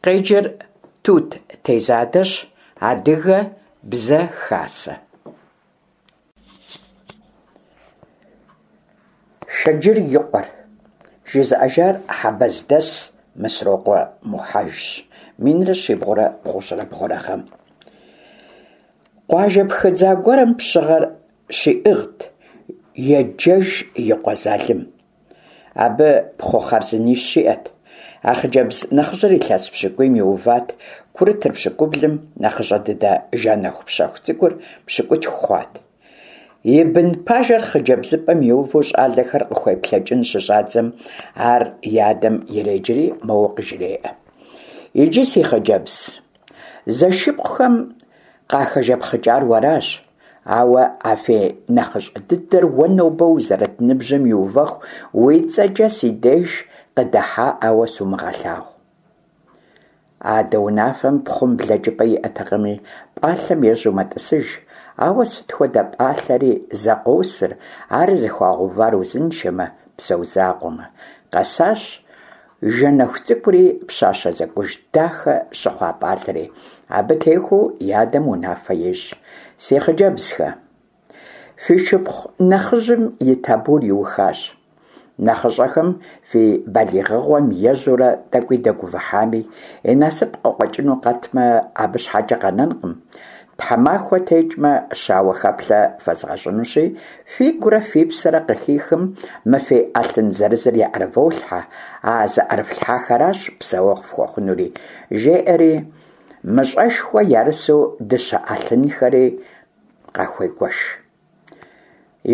Къеджэр Тут Тезадэщ, Адыгэ бзэ хасэ. Шэджыр и къуэр. Жызыӏэжар Хьэбэздэс Мысрокъуэ Мухьэжщ, 1392 гъэм. Къуажэ пхыдза гуэрым пщыгъэр щиӏыгът Еджэж и къуэ Залым. Абы пхъу хъарзынищ иӏэт. А хъыджэбз нэхъыжьыр илъэс пщыкӏуийм иуват, курытыр пщыкӏублым, нэхъыщӏэ дыдэ Жэнэху пщэху цӏыкӏур пщыкӏутху хъуат. И бын пажэр хъыджэбзыпӏэм иувэу щӏалэхэр къыхуеплъэкӏын щыщӏадзэм, ар и адэм иреджэри моуэ къыжреӏэ: Иджы, си хъыджэбз, зэшыпхъухэм къахэжэпхъыкӏар уэращ, ауэ а фи нэхъыщӏэ дыдэр уэ нобэ узэрыт ныбжьым иувэху уи цӏэкӏэ си деж къыдыхьаӏауэ сумыгъэлъагъу. Адэ унафэм пхъум блэкӏыпӏэ иӏэтэкъыми, пӏалъэм ежьэу мэтӏысыж, ауэ сыт хуэдэ пӏалъэри зэ къосыр, ар зыхуагъэувар узыншэмэ, псэу закъуэмэ. Къэсащ Жэнэху цӏыкӏури пщащэ зэкӏуж дахэ щыхъуа пӏалъэри, абы техуэу и адэм унафэ ещӏ: Си хъыджэбзхэ, фи шыпхъу нэхъыжьым и табур иухащ. Нэхъыщӏэхэм фи балигъыгъуэм ежьэурэ тӏэкӏуи дэгувыхьами, и насып къыкъуэкӏыну къэтмэ, абы щхьэкӏэ къэнэнкъым. Тхьэмахуэ текӏмэ, щауэхэплъэ фэзгъэщӏынущи, фигурэ фи псэрэ къыхихым мы фи ӏэлъын зырызыр яӏэрыволъхьэ, а зыӏэрыфлъхьахэращ псэуэгъу фхуэхъунури, жеӏэри, мыщӏэшхуэ ярысу дыщэ ӏэлъынхэри къахуегуэш.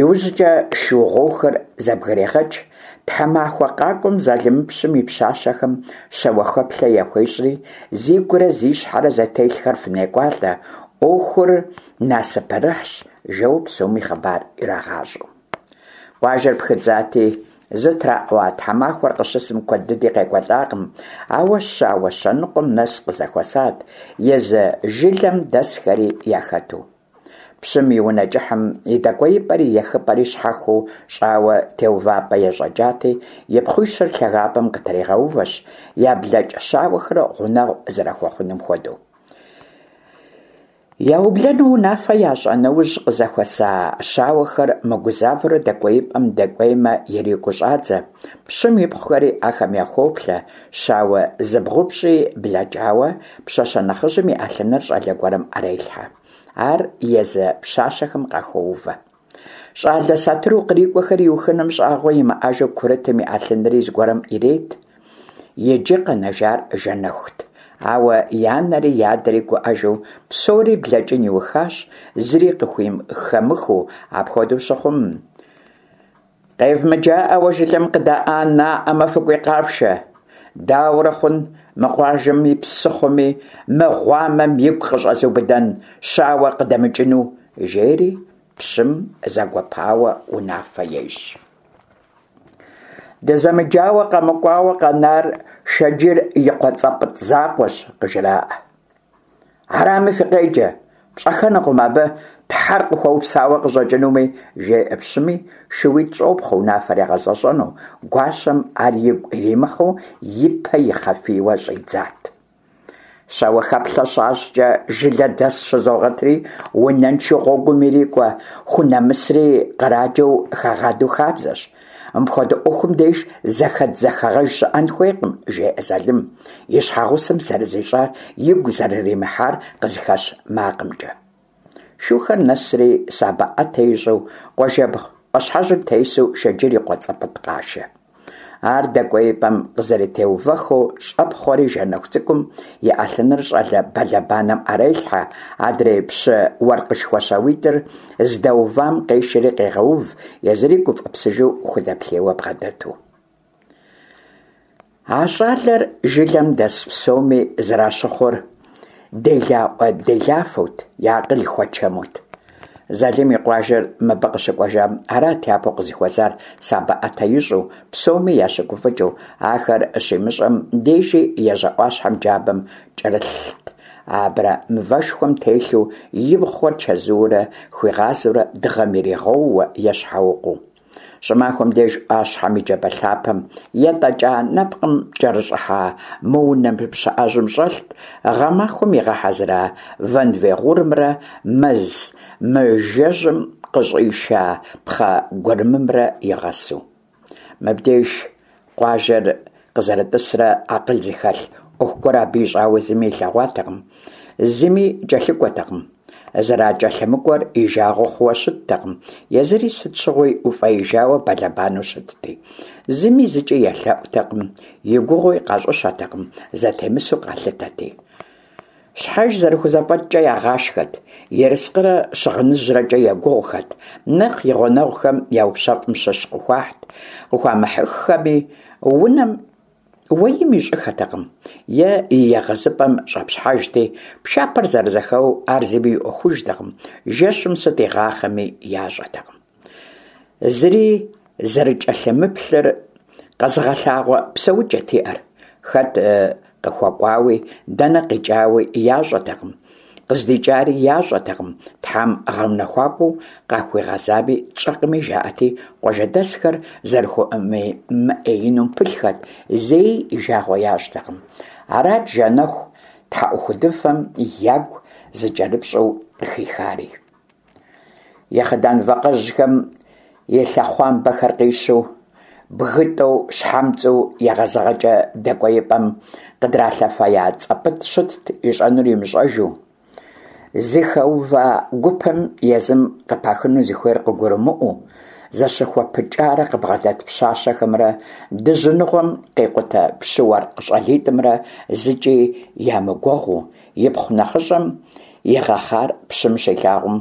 Иужькӏэ шу гъуохэр зэбгрегъэкӏ, тхьэмахуэ къакӏуэм Залымыпщым и пщащэхэм щауэхэплъэ яхуещӏри, зигурэ зи щхьэрэ зэтелъхэр фынекӏуалӏэ, ӏуэхур насыпырыхьщ, жэуэ псоми хъыбар ирагъащӏэу. Къуажэр пхыдзати, зытраӏуа тхьэмахуэр къыщысым куэд дыди къекӏуэлӏакъым, ауэ щауэ щэныкъуэм нэс къызэхуэсат, езы жылэм дэсхэри яхэту. Пщым и унэ кӏыхьым и дэкӏуеипӏэри ехыпӏэри щхьэхуэу щӏауэ теувапӏэ ещӏэкӏати, и пхъуищыр лъагапӏэм къытригъэувэщ, яблэкӏ щауэхэр гъунэгъу зэрахуэхъуным хуэдэу. Яублэну унафэ ящӏа нэужь, къызэхуэса щауэхэр мыгузавэурэ дэкӏуеипӏэм дэкӏуеймэ ирикӏуу щӏадзэ, пщым ипхъухэри ахэм яхоплъэ, щауэ зыбгъупщӏи блэкӏауэ, пщащэ нэхъыжьым и ӏэлъыныр щӏалэ гуэрым ӏэрелъхьэ. Ар езы пщащэхэм къахоувэ. Щӏалэ сатыру кърикӏуэхэр иухыным щӏагъуэ имыӏэжу курытым и ӏэлъынри зыгуэрым ирет. Иджы къэнэжар Жэнэхут. Ауэ и анэри и адэри гуӏэжу псори блэкӏын иухащ, зыри къыхухэмыхыу, апхуэдэу щыхъум, Къевмыджаӏауэ жылэм къыдаӏанаӏэмэ, фыкӏуи къафшэ. Дауэрэ хъун мы къуажэми псыхъуэми мы гъуамэм игу къыщӏэзубыдэн щауэ къыдэмыкӏыну, жери пщым зэгуэпауэ унафэ ещӏ. Дызэмыджауэ къэмыкӏуауэ къэнар Шэджыр и къуэ Цӏэпӏытӏ закъуэщ, къыжраӏэ. Арами фыкъеджэ, пщӏэхэнукъым абы Тхьэр къыхуэупсауэ къыщӏэкӏынуми, жеӏэ пщыми, шууитӏ щӏопхъуэ унафэр ягъэзэщӏэну, гуащэм ар игу иримыхьу и пэ ихъэфийуэ щӏидзат. Щауэхэплъэ щащӏкӏэ жылэ дэс щызогъэтри, унэншэу гъуэгум ирикӏуэ хунэмысри къраджэу хагъадэу хабзэщ. Мыпхуэдэ ӏуэхум деж зэхэдз-зэхэгъэж щыӏэн хуейкъым, жеӏэ Залым, и щхьэгъусэм зэрызищӏар игу зэрыримыхьар къызыхэщ макъымкӏэ. Шухэр нэсри, сабэ ӏэтэ ищӏу, къуажэбгъу ӏуащхьэжьым тесу Шэджыр и къуэ Цӏэпӏытӏ къашэ. Ар дэкӏуеипӏэм къызэрытеувэххэу щӏэпхъуэри Жэнэху цӏыкӏум и ӏэлъыныр щӏалэ бэлэбанэм ӏэрелъхьэ, адрей пщы уэркъышхуэ щауитӏыр здэувам къешэри къегъэув, езыри гуфӏэпсыжу худэплъейуэ бгъэдэту. А щӏалэр жылэм дэс псоми зэращыхъур делаӏуэ-делафэут, я акъыл хуэчэмут. Залым и къуажэр мыбы къыщыкӏуэжам арат япэу къызыхуэзар сабэ ӏэтэ ищӏу, псоми ящыгуфӏыкӏыу, ахэр щимыщӏэм дежи ежьэ ӏуащхьэм джабэм кӏэрылът, абрэмывэшхуэм телъу и пхъухэр чэзуурэ хуигъазэурэ дыгъэм иригъэууэ е щхьэукъуэу. Щӏымахуэм деж ӏуащхьэм и джабэ лъапэм етӏэкӏа нэпкъым кӏэрыщӏыхьа мо унэ пщыӏэжьым щӏэлът гъэмахуэм игъэхьэзыра вэнвей гъурымрэ мэз мыжэжьым къыщӏиша пхъэ гурымымрэ игъэсу. Мыбдеж къуажэр къызэрытӏысрэ акъыл зыхэлъ ӏуэху гуэр абы ищӏауэ зыми илъэгъуатэкъым, зыми кӏэлъыкӏуэтэкъым. Зэракӏэлъымыкӏуэр и жагъуэ хъууэ щыттэкъым, езыри сыт щыгъуи уфӏеижауэ бэлэбанэу щытти. Зыми зыкӏи елъэӏутэкъым, и гугъуи къащӏыщэтэкъым, зэтемысу къалъытэти. Щхьэж зэрыхузэфӏэкӏкӏэ ягъашхэт, ерыскъырэ щыгъыныжьрэкӏэ егугъухэт, нэхъ и гъунэгъухэм яупщэфӏым щыщ къыхуахьт, къыхуамыхьыххэми, унэм уэим ищӏыхэтэкъым е и егъэзыпӏэм щӏэпщхьэжти, пшапэр зэрызэхэуэу ар зыми и ӏуэхужтэкъым, жэщым сыт игъахъэми ящӏэтэкъым. Зыри зэрыкӏэлъымыплъыр къэзыгъэлъагъуэ псэукӏэт иӏэр. Хэт къыхуэкӏуауи, дэнэ къикӏауи ящӏэтэкъым, къыздикӏари ящӏэтэкъым, Тхьэм гъэунэхуакӏуэу къахуигъэзами тщӏэкъыми жаӏэти, къуажэдэсхэр зэрыхуэмыӏеинум пылъхэт, зэи и жагъуэ ящӏтэкъым. Арат Жэнэху тхьэӏухудыфэм ягу зыкӏэрыпщӏэу къыхихари. И хъыдан вакъэжьхэм и лъэхъуамбэхэр къищу, бгытӏэу щхьэмцӏэу егъэзыгъэкӏэ дэкӏуеипӏэм къыдралъэфея Цӏэпӏытӏ щытт ищӏэнур имыщӏэжу. Зыхэува гупым езым къыпахыну зыхуейр къыгурымыӏуэу, зэщыхуэпыкӏарэ къыбгъэдэт пщащэхэмрэ дыжьыныгъуэм къикъутэ пщы-уэркъ щӏалитӏымрэ зыкӏи ямыгуэгъуу, ипхъу нэхъыщӏэм игъэхъар пщым щилъагъум,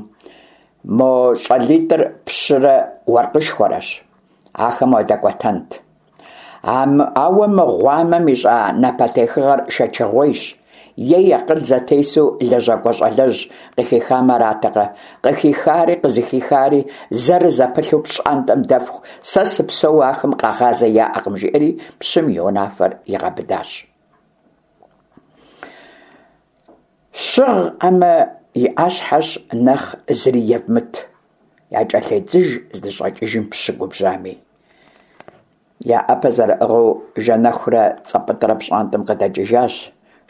Мо щӏалитӏыр пщырэ уэркъышхуэрэщ, ахэм уадэкӏуэтэнт. Ауэ мы гъуамэм ищӏа напэтехыгъэр шэчыгъуейщ. Ей акъыл зэтесу лэжьакӏуэ щӏалэжь къыхихам аратэкъэ? Къыхихари къызыхихари зэрызэпылъу пщӏантӏэм дэфху, сэ сыпсэууэ ахэм къэгъазэ яӏэкъым, жиӏэри пщым и унафэр игъэбыдащ. Щыгъӏэмэ, и ӏэщхьэщ нэхъ зыри евмыт, якӏэлъедзыж здыщӏэкӏыжым пщы губжьами. Я ӏэпэ зэрыӏыгъыу Жэнэхурэ Цӏэпӏытӏрэ пщӏантӏэм къыдэкӏыжащ,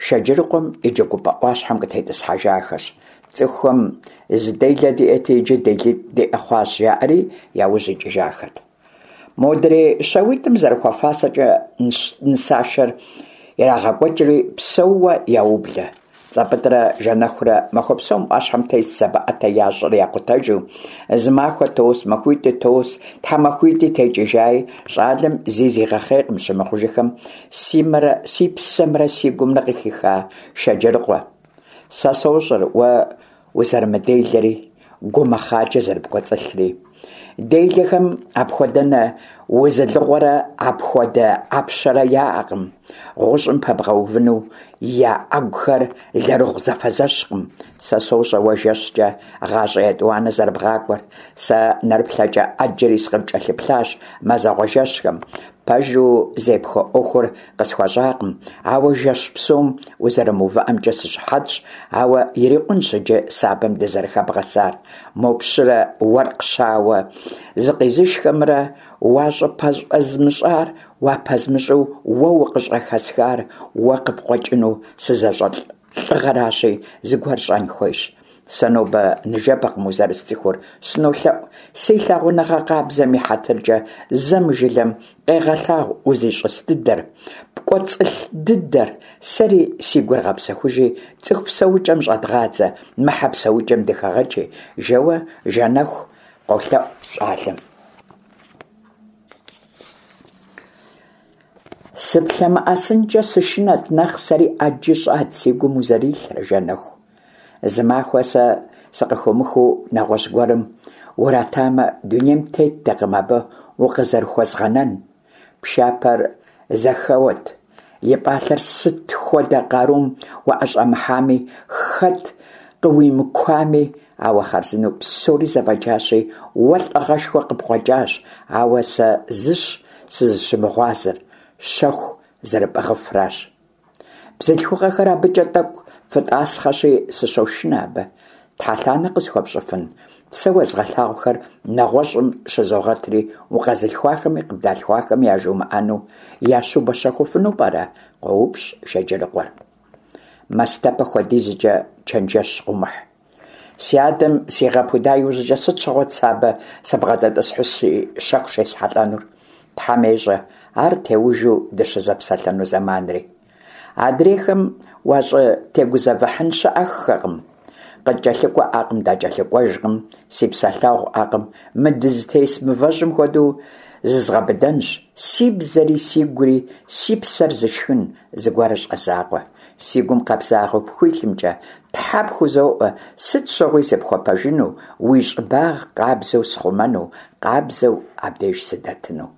Шэджырыкъуэм и джэгупӏэ ӏуащхьэм къытетӏысхьэжахэщ. Цӏыхухэм зы делэ диӏэти, иджы делитӏ диӏэ хъуащ, жаӏэри я ужь икӏыжахэт. Модрей щауитӏым зэрыхуэфащэкӏэ нысашэр ирагъэкӏуэкӏри, псэууэ яублэ. Цӏэпӏытӏрэ Жэнэхурэ махуэ псом ӏуащхьэм тест сабэ ӏэтэ ящӏыр якъутэжу. Зы махуэ тос, махуитӏи тос, тхьэмахуитӏи текӏыжаи, щӏалэм зи зигъэхъейкъым щымыхъужыхэм си мэрэ си псэмрэ си гумрэ къыхиха Шэджырыкъуэ. Сэ сощӏэр уэ узэрымыделэри, гу мэхъаджэ зэрыпкӏуэцӏылъри. Делэхэм апхуэдэнэ узылыгъуэрэ апхуэдэ ӏэпщэрэ яӏэкъым, гъущӏым пэбгъэувыну я ӏэгухэр лэрыгъу зэфэзэщкъым. Сэ сощӏэ уэ жэщкӏэ гъащӏэ етӏуанэ зэрыбгъакӏуэр. Сэ нэрыплъэкӏэ ӏэджэри сыкъыпкӏэлъыплъащ мазэгъуэ жэщхэм. Пэжу зепхуэ ӏуэхур къысхуэщӏакъым, ауэ жэщ псом узэрымыувыӏэмкӏэ сыщыхьэтщ, ауэ ирикъунщ иджы сабэм дызэрыхэбгъэсар. Мо пщырэ уэркъ щауэ зыкъизышхэмрэ уащӏыпэщӏэзмыщӏар уапэзмыщӏу уэ укъыщӏыхэсхар уэ къыпкъуэкӏыну сызэщӏэлӏ лӏыгъэращи, зыгуэр щӏэн хуейщ. Сэ нобэ ныжэбэкъым узэрысцӏыхур, сынолъэӏу, си лъагъуныгъэ къабзэм и хьэтыркӏэ зэ мы жылэм къегъэлъагъу узищӏыс дыдэр, пкӏуэцӏылъ дыдэр, сэри си гур гъэпсэхужи, цӏыху псэукӏэм щӏэдгъадзэ, мы хьэ псэукӏэм дыхэгъэкӏи, жэуэ Жэнэху къолъэӏу щӏалэм. Сыплъэмыӏэсынкӏэ сышынэт нэхъ, сэри ӏэджи щӏат си гум узэрилърэ, Жэнэху. Зы махуэ сэ сыкъыхомыхыу нэгъуэщӏ гуэрым уратамэ, дунейм теттэкъым абы укъызэрыхуэзгъэнэн. Пшапэр зэхэуэт, и пӏалъэр сыт хуэдэ къарум уӏэщӏэмыхьами, хэт къыуимыкуами, ауэ хъарзынэу псори зэфӏэкӏащи, уэ лӏыгъэшхуэ къыпкъуэкӏащ, ауэ сэ зыщ сызыщымыгъуазэр, щэху зэрыпӏыгъыфращ. Бзылъхугъэхэр абыкӏэ тӏэкӏу фытӏасхъэщи, сыщошынэ абы. Тхьэлъанэ къысхуэпщӏыфын? Сэ уэзгъэлъагъухэр нэгъуэщӏым щызогъэтри, укъэзылъхуахэми къыбдалъхуахэми яжумыӏэну ящубэщэхуфыну пӏэрэ? – къоупщӏ Шэджырыкъуэр. Мастэпэ хуэдизкӏэ чэнджэщ къыумыхь. Си адэм сигъэпуда иужькӏэ сыт щыгъуэт сэ абы сыбгъэдэтӏысхьу си щэху щесхьэлӏэнур? Тхьэм ещӏэ, ар теужу дыщызэпсэлъэну зэманри. Адрейхэм уащӏытегузэвыхьын щыӏэххэкъым. Къыткӏэлъыкӏуэӏакъым, дакӏэлъыкӏуэжкъым, си псэлъэгъуӏэкъым, мы дызытес мывэжьым хуэдэу зызгъэбыдэнщ, си бзэри, сигури, си псэр зышхын зыгуэр щӏэ закъуэ. Си гум къабзагъэу пхуилъымкӏэ Тхьэ пхузоӏуэ, сыт щыгъуи сыпхуэпэжыну, уи щӏыбагъ къабзэу схъумэну, къабзэу абдеж сыдэтыну.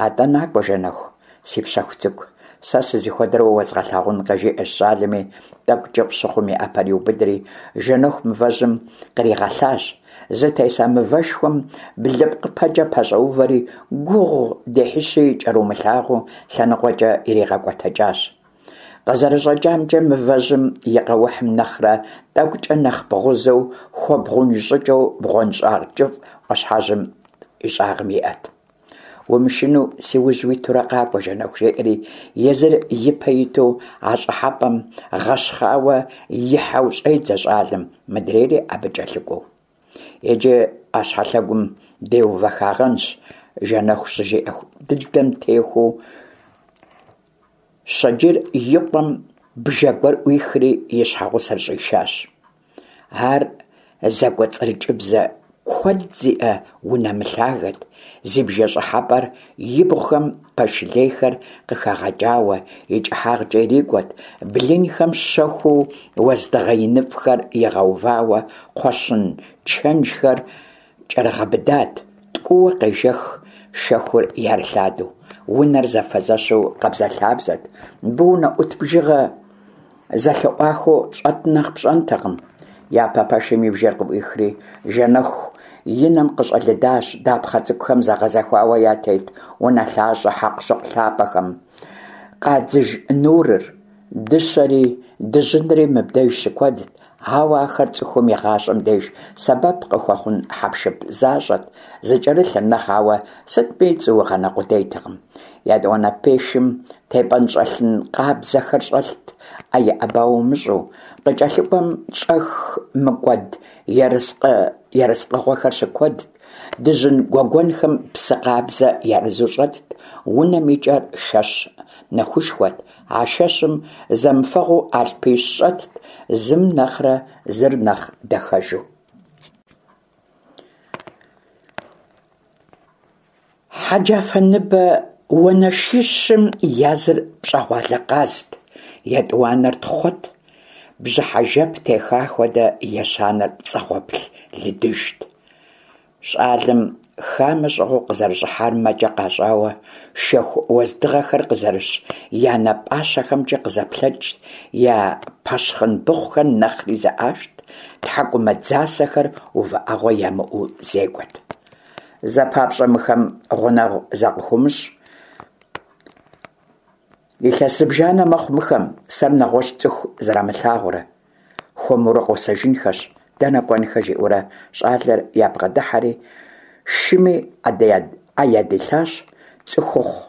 Атӏэ накӏуэ, Жэнэху, си пщэху цӏыкӏу, сэ сызыхуэдэр уэ уэзгъэлъагъункъэ, жиӏэщ щӏалэми, тӏэкӏу кӏыфӏ щыхъум и ӏэпэр иубыдри, Жэнэху мывэжьым къригъэлъащ. Зытеса мывэшхуэм блыпкъыпэкӏэ пэщӏэувэри, гугъу дехьыщи кӏэрумылъагъуэу лъэныкъуэкӏэ иригъэкӏуэтэкӏащ. Къызэрыщӏэкӏамкӏэ, мывэжьым и къэухьым нэхърэ тӏэкӏукӏэ нэхъ бгъузэу, хуэбгъунж щӏыкӏэу бгъуэнщӏагъ кӏыфӏ ӏуащхьэжьым и щӏагъым иӏэт. Умышынэу си ужь уитурэ къакӏуэ, Жэнэху, жеӏэри, езыр ипэ иту а щӏыхьэпӏэм гъэщхъауэ ихьэу щӏедзэ щӏалэм, мыдрейри абы кӏэлъыкӏуэу. Иджы ӏуащхьэлъэгум деувэхагъэнщ, Жэнэху щыжиӏэ дыдэм техуэу Щэджыр и къуэм бжэ гуэр ӏуихри и щхьэгъусэр щӏишащ. Ар зэкӏуэцӏрыкӏыбзэ куэд зиӏэ унэ мылъагэт, зи бжэ щӏыхьэпӏэр ибгъухэм пэш лейхэр къыхэгъэкӏауэ и кӏыхьагъкӏэ ирикӏуэт, блынхэм щэхуу уэздыгъэ иныфӏхэр игъэувауэ кхъуэщын чэнжхэр кӏэрыгъэбыдат, ткӏууэ къежэх шэхур ярылъадэу. Унэр зэфэзэщу къабзэлъабзэт. Мыбы унэӏут бжыгъэ зэлъыӏуахыу щӏэт нэхъ пщӏэнтэкъым. Япэ пэшым и бжэр къыӏуихри, Жэнэху и нэм къыщӏэлыдащ дапхъэ цӏыкӏухэм зэгъэзэхуауэ ятет унэлъащӏэ хьэкъущыкъу лъапӏэхэм къадзыж нурыр. Дыщэри дыжьынри мыбдеж щыкуэдт, ауэ ахэр цӏыхум и гъащӏэм деж сэбэп къыхуэхъун хьэпшып защӏэт, зыкӏэрылъыр нэхъ ауэ сытми цӏуугъэнэ къудейтэкъым. Етӏуанэ пэшым тепӏэнщӏэлъын къабзэхэр щӏэлът, ӏэ иӏэба умыщӏу, къыкӏэлъыкӏуэм щӏэх мыкӏуэд ерыскъы ерыскъыгъуэхэр щыкуэдт, дыжьын гуэгуэнхэм псы къабзэ ярызу щӏэтт, унэм и кӏэр шэщ нэхушхуэт, А шэщым зэмыфэгъуу алъпищ щӏэтт, зым нэхърэ зыр нэхъ дахэжу. Хьэджафэ ныбэ уанэшищым языр пщӏэгъуалэ къазт, етӏуанэр тхъуэт, бжьыхьэ жэп теха хуэдэ ещанэр пцӏэгъуэплъ лыдыжт. Щӏалэм хамэ щӏыгъуу къызэрыщӏыхьар мэкӏэ къащӏауэ, шэху уэздыгъэхэр къызэрыщ я нэ пӏащэхэмкӏэ къызэплъэкӏт, я пэщхъын быхъухэр нэхъри зэӏащт, тхьэкӏумэ дзасэхэр увыӏэгъуэ ямыӏэу зекӏуэт. Зэ папщӏэ мыхэм гъунэгъу закъыхуумыщӏ. Илъэс зыбжанэ мэхъу мыхэм, сэр нэгъуэщӏ цӏыху зэрамылъагъурэ. Хуэмурэ къосэжынхэщ, дэнэ кӏуэнхэ, жиӏэурэ щӏалэр ябгъэдыхьэри, шыми ӏэ ядилъащ, цӏыхухъу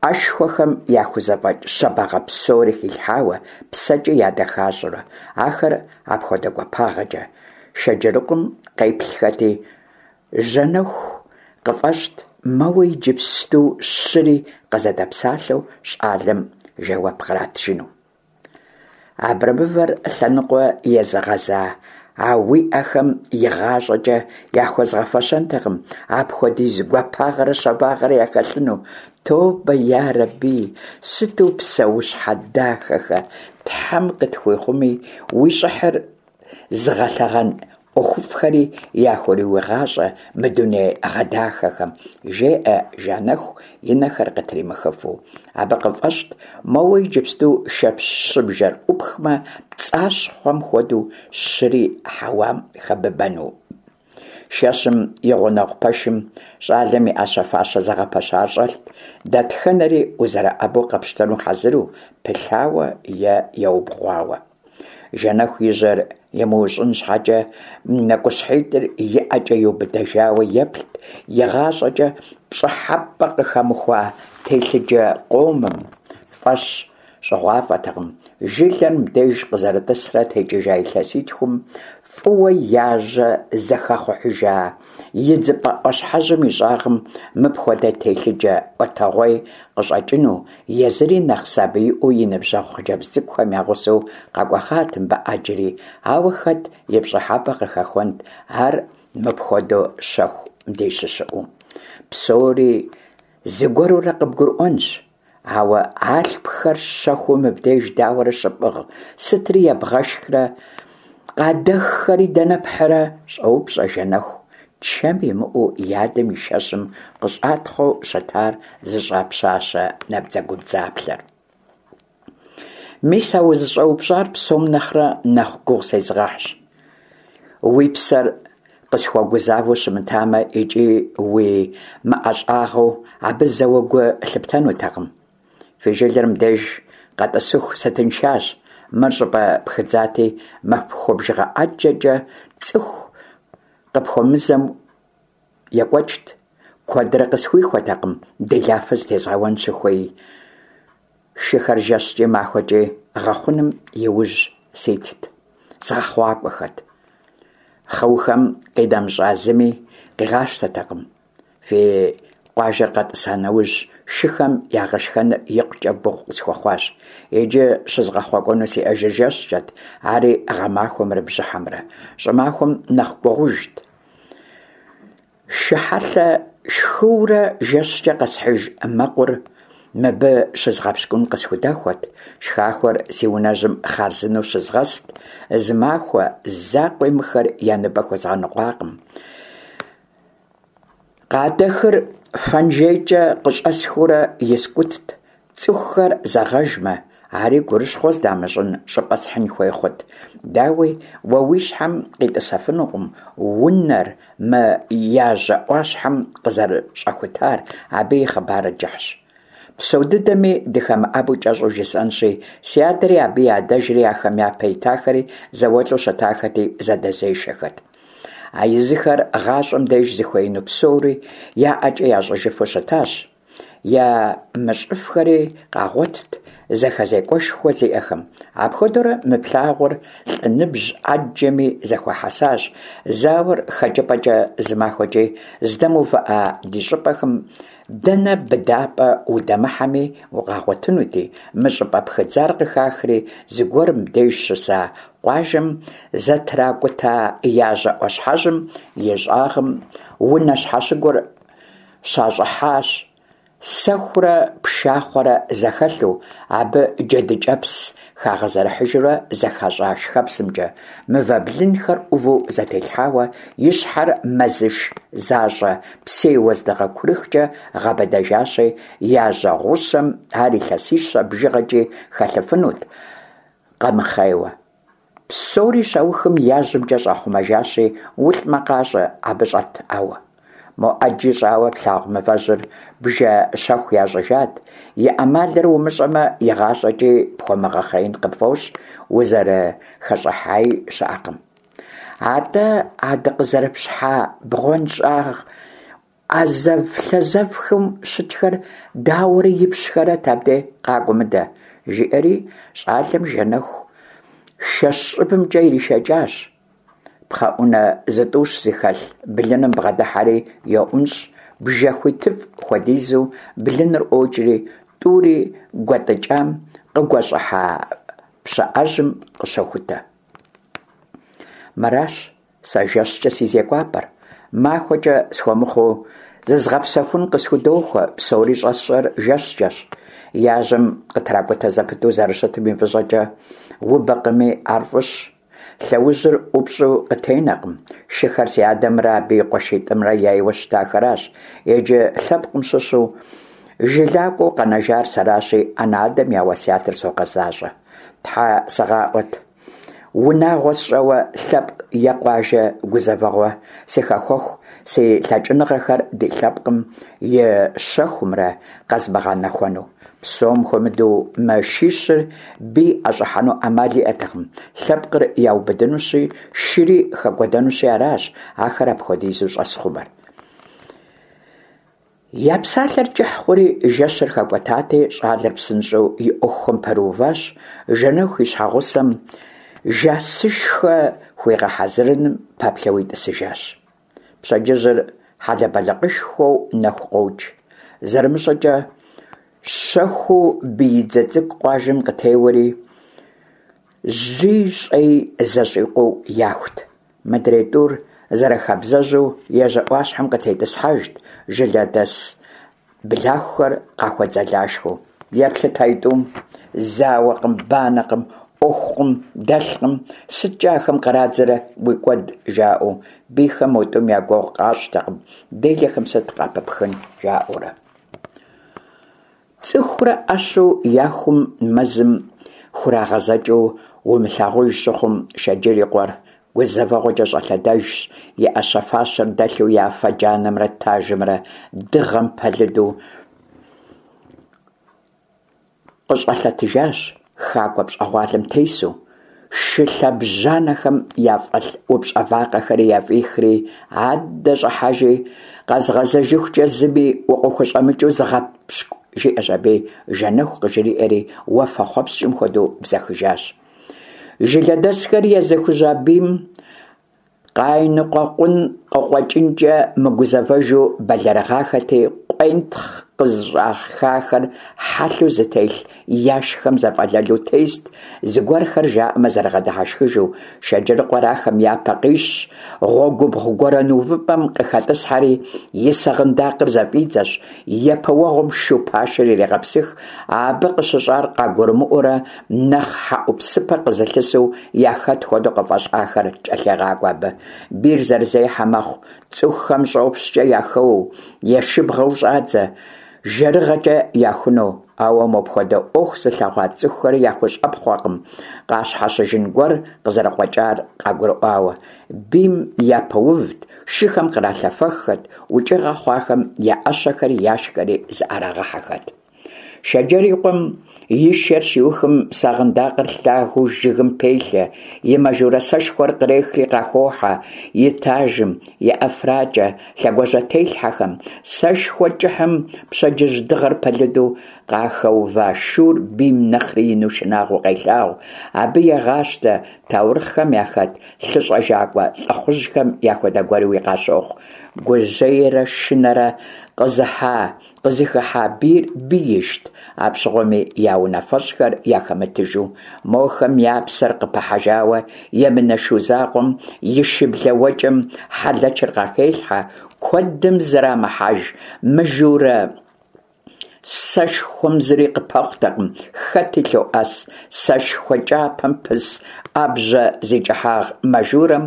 ӏэшхуэхэм яхузэфӏэкӏ щабагъэ псори хилъхьауэ, псэкӏи ядэхащӏэурэ. Ахэр апхуэдэ гуапагъэкӏэ Шэджырыкъуэм къеплъхэти, Жэнэху къыфӏэщӏт, мэуэ иджыпсту щыри къызэдэпсалъэу щӏалэм жэуап къратыжыну. Абрэмывэр лъэныкъуэ езыгъэза а уи ӏэхэм игъащӏэкӏэ яхуэзгъэфэщэнтэкъым апхуэдиз гуапагъэрэ щабагъэрэ яхэлъыну. Тобэ ярэби, сыту псэущхьэ дахэхэ, Тхьэм къытхуихъуми, уи щӏыхьыр зыгъэлъэгъэн ӏуэхуфӏхэри яхуриуигъащӏэ мы дуней гъэдахэхэм, жеӏэ Жанэху и нэхэр къытримыхыфу. Абы къыфӏэщӏт, моуэ иджыпсту шэщыбжэр ӏупхмэ, пцӏащхъуэм хуэдэу щыри хьэуам хэбыбэну. Шэщым и гъунэгъу пэшым щӏалэм и ӏэщэ-фащэ зэгъэпэщар щӏэлът, дэтхэнэри узэрыӏэбэу къэпщтэну хьэзыру, пылъауэ е еубгъуауэ. Жэнэху и жьэр имыущӏын щхьэкӏэ нэкӏущхьитӏыр и ӏэкӏэ иубыдэжауэ еплът игъащӏэкӏэ пщӏыхьэпӏэ къыхэмыхуа телъыджэ къомым, фӏэщ щӏыгъуафӏэтэкъым, жылэр мыбдеж къызэрытӏысрэ текӏыжа илъэситхум фӏыуэ яжьэ зэхэхъухьыжа идзыпӏэ ӏуащхьэжьым и щӏагъым мыпхуэдэ телъыджэ ӏуэтэгъуей къыщӏэкӏыну, езыри нэхъ сабииӏуэу и ныбжьэгъу хъыджэбз цӏыкӏухэм я гъусэу къэкӏуэгъат мыбы ӏэджэри, ауэ хэт и пщӏыхьэпӏэ къыхэхуэнт ар мыпхуэдэу щэху мыбдеж щыщыӏэу. Псори зыгуэрурэ къыбгурыӏуэнщ. Ауэ алъпхэр щэхуу мыбдеж дауэрэ щыпӏыгъ, сытри ебгъэшхрэ, къадэххэри дэнэ пхьырэ? щӏоупщӏэ Жэнэху, чэм имыӏэу и адэм и шэщым къыщӏатхъуэу щытар зыщӏа пщащэ набдзэгубдзаплъэр. Мис а узыщӏэупщӏар псом нэхърэ нэхъ гугъу сезыгъэхьщ. Уи псэр къысхуэгузавэу щымытамэ икӏи уи мыӏэщӏагъэу абы зэуэ гу лъыптэнутэкъым. Фи жылэр мыбдеж къэтӏысыху сытыншащ, мыр щӏыпӏэ пхыдзати, махуэ бжыгъэ ӏэджэкӏэ цӏыху къыпхуэмызэу екӏуэкӏт. Куэдрэ къысхуихуэтэкъым делафэ зытезгъэуэн щыхуей. Шыхэр жэщкӏи махуэкӏи гъэхъуным и ужь ситт, згъэхъуакӏуэхэт. Хъыухэм къинэмыщӏа зыми къигъащтэтэкъым. Фи къуажэр къэтӏыса нэужь, шыхэм я гъэшхэныр икъукӏэ гугъу къысхуэхъуащ. Иджы щызгъэхъуэкӏуэну сиӏэжыр жэщкӏэт, ари гъэмахуэмрэ бжьыхьэмрэ. Щӏымахуэм нэхъ гугъужт. Шы хьэлъэ шхыурэ жэщкӏэ къэсхьыж мэкъур мыбы щызгъэпщкӏун къысхудэхуэт, шхахуэр си унэжьым хъарзынэу щызгъэст, зы махуэ закъуи мыхэр я ныбэ хуэзгъэныкъуакъым. Къадэхыр фэнжейкӏэ къыщӏэсхыурэ искӏутт, Цӏыхухэр зэгъэжмэ, ари гурыщхъуэ здамыщӏын щӏыпӏэ схьын хуей хъут. Дауи, уэ уи щхьэм къитӏысэфынукъым унэр мы яжьэ ӏуащхьэм къызэрыщӏэхутар, абы и хъыбарыр кӏыхьщ. Псо дыдэми дыхэмыӏэбэу кӏэщӏу жысӏэнщи, си адэри абы и адэжри ахэм япэ итахэри зауэлӏу щытахэти, зэдэзешэхэт. А езыхэр гъащӏэм деж зыхуеину псори я ӏэкӏэ ящӏыжыфу щытащ. Ямыщӏыфхэри къагъуэтт зэхэзекӏуэшхуэ зиӏэхэм. Апхуэдэурэ мы плъагъур лӏы ныбжь ӏэджэми зэхуахьэсащ. Зауэр хэкӏыпӏэкӏэ зы махуэкӏи здэмыувыӏа ди щӏыпӏэхэм дэнэ быдапӏэ удэмыхьэми укъагъуэтынути, мы щӏыпӏэ пхыдзар къыхахри, зыгуэр мыбдеж щыса къуажэм зэтракӏута яжьэ ӏуащхьэжьым и щӏагъым унэ щхьэщыгур щащӏыхьащ, сэхурэ пшахъуэрэ зэхэлъу, абы джэдыкӏэпс хагъэзэрыхьыжурэ зэхащӏа шхэпсымкӏэ, мывэ блынхэр ӏуву зэтелъхьауэ, и щхьэр мэзыш защӏэ псей уэздыгъэ курыхкӏэ гъэбыдэжащи, яжьэ гъущэм ар илъэсищэ бжыгъэкӏи хэлъыфынут, къэмыхъейуэ. Псори щаухым яжьэмкӏэ щӏахъумэжащи, улӏмэ къащӏэ абы щӏэтӏауэ. Мо ӏэджи щӏауэ плъагъу мывэжьыр бжэ щэху ящӏыжат, и ӏэмалыр умыщӏэмэ, игъащӏэкӏи пхуэмыгъэхъеин къыпфӏощӏ, узэрыхэщӏыхьаи щыӏэкъым. Атӏэ а дыкъызэрыпщхьа бгъуэнщӏагъ ӏэзэв-лъэзэвхэм щытхэр дауэрэ ипщхэрэт абдей, къакӏуэ мыдэ, жиӏэри щӏалэм Жэнэху шэщ щӏыбымкӏэ иришэкӏащ. Пхъэӏунэ зытӏущ зыхэлъ блыным бгъэдыхьэри йоӏунщӏ, бжэ хуитыфӏ хуэдизу блыныр ӏуокӏри, тӏури гуэтӏыкӏам къыгуэщӏыхьа пщыӏэжьым къыщохутэ. Мыращ Сэ жэщкӏэ си зекӏуапӏэр, махуэкӏэ схуэмыхъуу, зызгъэпсэхун къысхудохуэ, псори щӏэсщӏэр жэщкӏэщ. Яжьэм къытракӏутэ зэпыту зэрыщытым и фӏыщӏэкӏэ, убэкъыми, ар фӏыщ. Лъэужьыр ӏупщӏу къытенэкъым. Шыхэр си адэмрэ абы и къуэшитӏымрэ яйуэ щытахэращ. Иджы лъэпкъым щыщу жылакӏуэу къэнэжар сэращи, анэ-адэм я уэсятыр согъэзащӏэ. Тхьэ сыгъаӏуэт. Унагъуэ сщӏэуэ лъэпкъ е къуажэ гузэвэгъуэ сыхэхуэху. си лъэкӏыныгъэхэр ди лъэпкъым и щэхумрэ къэзмыгъэнэхуэну. Псом хуэмыдэу мы шищыр бий ӏэщӏыхьэну ӏэмал иӏэтэкъым, лъэпкъыр яубыдынущи, шыри хэкӏуэдэнущи аращ ахэр апхуэдизу щӏэсхъумэр. Я псалъэр кӏыхь хъури, жэщыр хэкӏуэтати, щӏалэр псынщӏэу и ӏуэхухэм пэрыуващ, Жэнэху и щхьэгъусэм жасышхэ хуигъэхьэзырыным пэплъэуи тӏысыжащ. Пщэдджыжьыр хьэлэбэлыкъышхуэу нэху къокӏ. Зэрымыщӏэкӏэ щэхуу биидзэ цӏыкӏу къуажэм къытеуэри, жьи щӏэи зэщӏикъуэу яхут. Мыдрей тӏур зэрыхабзэжьу ежьэ ӏуащхьэм къытетӏысхьэжт, жылэдэс Блахухэр къахуэдзэлашхэу. Еплъыт аитӏум, зауэкъым, банэкъым, ӏуэхукъым, дэлъкъым, сыткӏэ ахэм кърадзэрэ уи кӏуэд, жаӏэу, бийхэм мо тӏум я гугъу къащӏтэкъым, делэхэм сыт къапыпхын, жаӏэурэ. Цӏыхурэ ӏэщу яхум мэзым хурагъэзэкӏыу умылъагъуж щыхъум, Шэджыр и къуэр Гузэвэгъуэкӏэ щӏэлъэдэжщ, и ӏэщэ-фащэр дэлъу и афэ джанэмрэ тажымрэ дыгъэм пэлыду къыщӏэлъэтыжащ, хакӏуэ пщӏэгъуалэм тесу, шы лъэбжьанэхэм яфӏэлъ упщӏэ вакъэхэри яфӏихри, аддэ щӏыхьэжи, къэзгъэзэжыхукӏэ зыми укъыхущӏэмыкӏыу зыгъэпщкӏу, жиӏэщ аби, Жэнэху къыжриӏэри, уафэхъуэпскӏым хуэдэу бзэхыжащ. Жылэдэсхэр езыхужьа бийм къайныкъуэкъун къыкъуэкӏынкӏэ мыгузэвэжу бэлэрыгъахэти, къуентхъ къызыщӏахахэр хьэлъэу зытелъ яшхэм зэфӏэлэлу тест, зыгуэрхэр жаӏэмэ зэрыгъэдыхьэшхыжу, Шэджырыкъуэр ахэм япэ къищщ, гъуэгубгъу гуэрэн увыпӏэм къыхэтӏысхьэри, и сэгъындакъыр зэфӏидзэщ, Япэ уэгъуэм шу пашэр ирегъэпсых, абы къыщыщӏар къагурымыӏуэрэ нэхъ хьэӏупсыпэ къызылъысу яхэт хуэдэу къыфӏэщӏахэр кӏэлъегъакӏуэ абы. Бийр зэрызехьэ мэхъу, цӏыхухэм щӏопщкӏэ яхэуэу, ешыбгъэу щӏадзэ, жэрыгъэкӏэ яхуну. Ауэ мопхуэдэ ӏуэху зылъэгъуа цӏыхухэри яхущӏэпхъуэкъым, къащхьэщыжын гуэр къызэрыкъуэкӏар къагурыӏуауэ. Бийм япэувт, шыхэм къралъэфэххэт, укӏыгъэ хъуахэм я ӏэщэхэри яшхэри зыӏэрагъэхьэхэт. Шэджэр и къуэм и шэр щиухым сагъындакъыр лъагэу жыгым пелъэ, и мажурэ сэшхуэр кърехри къахохьэ, и тажым, и ӏэфракӏэ, лъэгуажьэтелъхьэхэм, сэшхуэ кӏыхьым пщэдджыжь дыгъэр пэлыду къахэува шур бийм нэхъри ину шынагъуэу къелъагъу, абы егъащтэ, таурыхъхэм яхэт лъыщӏэжакӏуэ лӏыхъужьхэм яхуэдэ гуэруи къащохъу. Гужьейрэ шынэрэ къызыхьа, къызыхыхьа бийр биижт, апщыгъуэми я унафэщӏхэр яхэмытыжу, мохэм я псэр къыпыхьэжауэ емынэ шу закъуэм и шыблэ уэкӏэм хьэлэчыр къахелъхьэ, куэдым зэрамыхьэж мыжурэ Сэшхуэм зыри къыпэхъутэкъым, хэти лъоӏэс. Сэшхуэ кӏапэм пыс ӏэбжьэ зи кӏыхьагъ мажурэм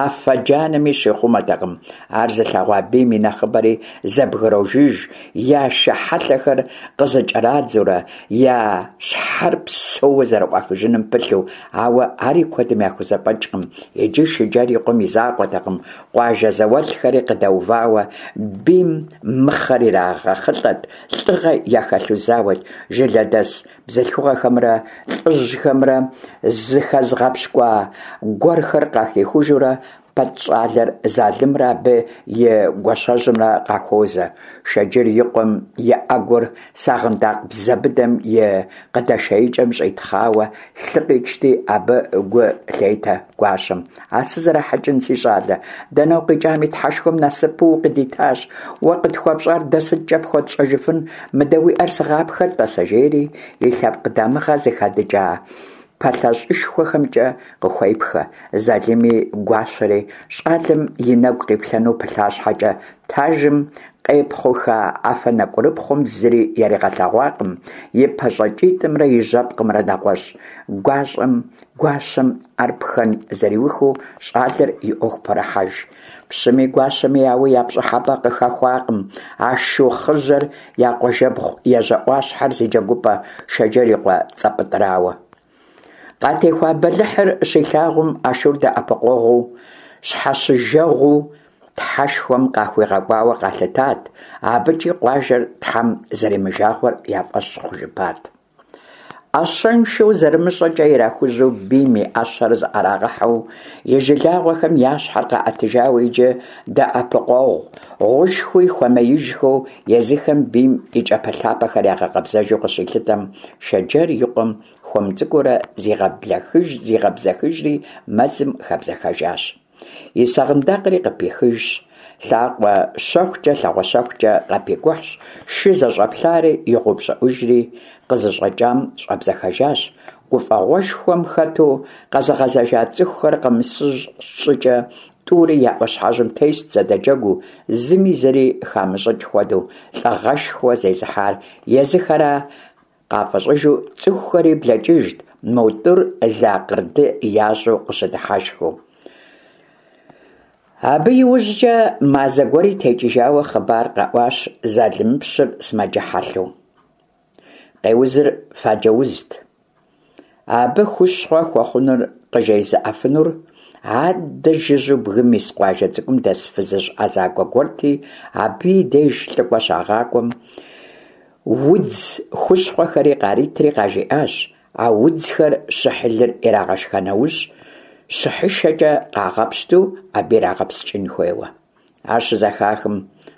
афэ джанэми щихъумэтэкъым. Ар зылъэгъуа бийм и нэхъыбэри зэбгрожыж, я шы хьэлъэхэр къызэкӏэрадзэурэ, я щхьэр псэууэ зэрыӏуахыжыным пылъу, ауэ ари куэдым яхузэфӏэкӏкъым. Иджы Шыджэр и къуэм и закъуэтэкъым, Къуажэ зауэлӏхэри къыдэувауэ, бийм мыхъэр ирагъэхъылӏэт, лӏыгъэ яхэлъу зауэт, жылэдэс бзылъхугъэхэмрэ лӏыжьхэмрэ зыхэзгъэпщкӏуа гуэрхэр къахихужурэ, Пэтӏ щӏалэр Залымрэ абы и гуащэжьымрэ къахуозэ. Шэджыр и къуэм и ӏэгур сагъындакъ бзэ быдэм и къыдэшеикӏэм щӏитхъауэ лъы къичти, абы гу лъетэ гуащэм. А сызэрахьэкӏын, си щӏалэ, дэнэ укъикӏами, Тхьэшхуэм насыпу укъыдитащ. Уэ къытхуэпщӏар дэ сыткӏэ пхуэтщӏэжыфын, мыдэ уи ӏэр сыгъапхэ, тӏасэ, жери и лъэпкъ дамыгъэ зыхэдыкӏа пэлъэщӏышхуэхэмкӏэ къыхуепхэ. Залыми гуащэри щӏалэм и нэгу къиплъэну пылъа щхьэкӏэ, тажым къепхъуха афэ нэкӏурыпхъуэм зыри яригъэлъэгъуакъым, и пащӏэкӏитӏымрэ и жьэпкъымрэ нэгъуэщӏ. Гуащӏэм Гуащэм ӏэр пхэн зэриухыу щӏалэр и ӏуэху пэрыхьэж. Пщыми гуащэми ауи я пщӏыхьэпӏэ къыхэхуакъым а шу хъыжьэр я къуажэбгъу ежьэ ӏуащхьэр зи джэгупӏэ Шэджэр и къуэ Цӏэпӏытӏрауэ. Къатехуа бэлыхьыр щилъагъум а шур дэӏэпыкъуэгъуу, щхьэщыжэгъуу. Тхьэшхуэм къахуигъэкӏуауэ къалъытат, абыкӏи къуажэр Тхьэм зэримыжагъуэр я фӏэщ хъужыпат. Ӏэщэншэу зэрымыщӏэкӏэ ирахужьэу бийм и ӏэщэр зыӏэрагъэхьэу и жылагъуэхэм я щхьэр къаӏэтыжауэ иджы дэӏэпыкъуэгъу гъушхуи хуэмеижхэу езыхэм бийм и кӏапэлъапэхэр ягъэкъэбзэжу къыщилъытэм, Шэджэр и къуэм хуэм цӏыкӏуурэ зигъэбзэхыжри мэзым хэбзэхэжащ. И сагъындакъри къыпихыжщ, лъакъуэ щэхукӏэ, лъагъуэ щэхукӏэ къапикӏухьщ, шы зэщӏэплъари игъэупщӏыӏужри, къызыщӏэкӏам щӏэбзэхэжащ. Гуфӏэгъуэшхуэм хэту къэзыгъэзэжа цӏыхухэр къэмысыж щӏыкӏэ тӏури я ӏуащхьэжьым тест зэдэджэгуу, зыми зыри хамыщӏыкӏ хуэдэу, лӏыгъэшхуэ зезыхьар езыхэра къафӏэщӏыжу цӏыхухэри блэкӏыжт, мо тӏур лакъырды ящӏу къыщыдыхьэшхыу. Абы иужькӏэ мазэ гуэри текӏыжауэ хъыбар къэӏуащ Залымыпщыр сымаджэ хьэлъэу. Къеузыр фаджэ узт. Абы хущхъуэ хуэхъунур къыжезыӏэфынур аддэ жыжьэу бгым ис къуажэ цӏыкӏум дэс фызыжь ӏэзакӏуэ гуэрти, абы и деж лӏыкӏуэ щагъакӏуэм, удз хущхъуэхэри къаритри къажиӏащ, а удзхэр щыхьылыр ирагъэшха нэужь, щыхьышэкӏэ къагъэпщту абы ирагъэпскӏын хуейуэ. Ар щызэхахым,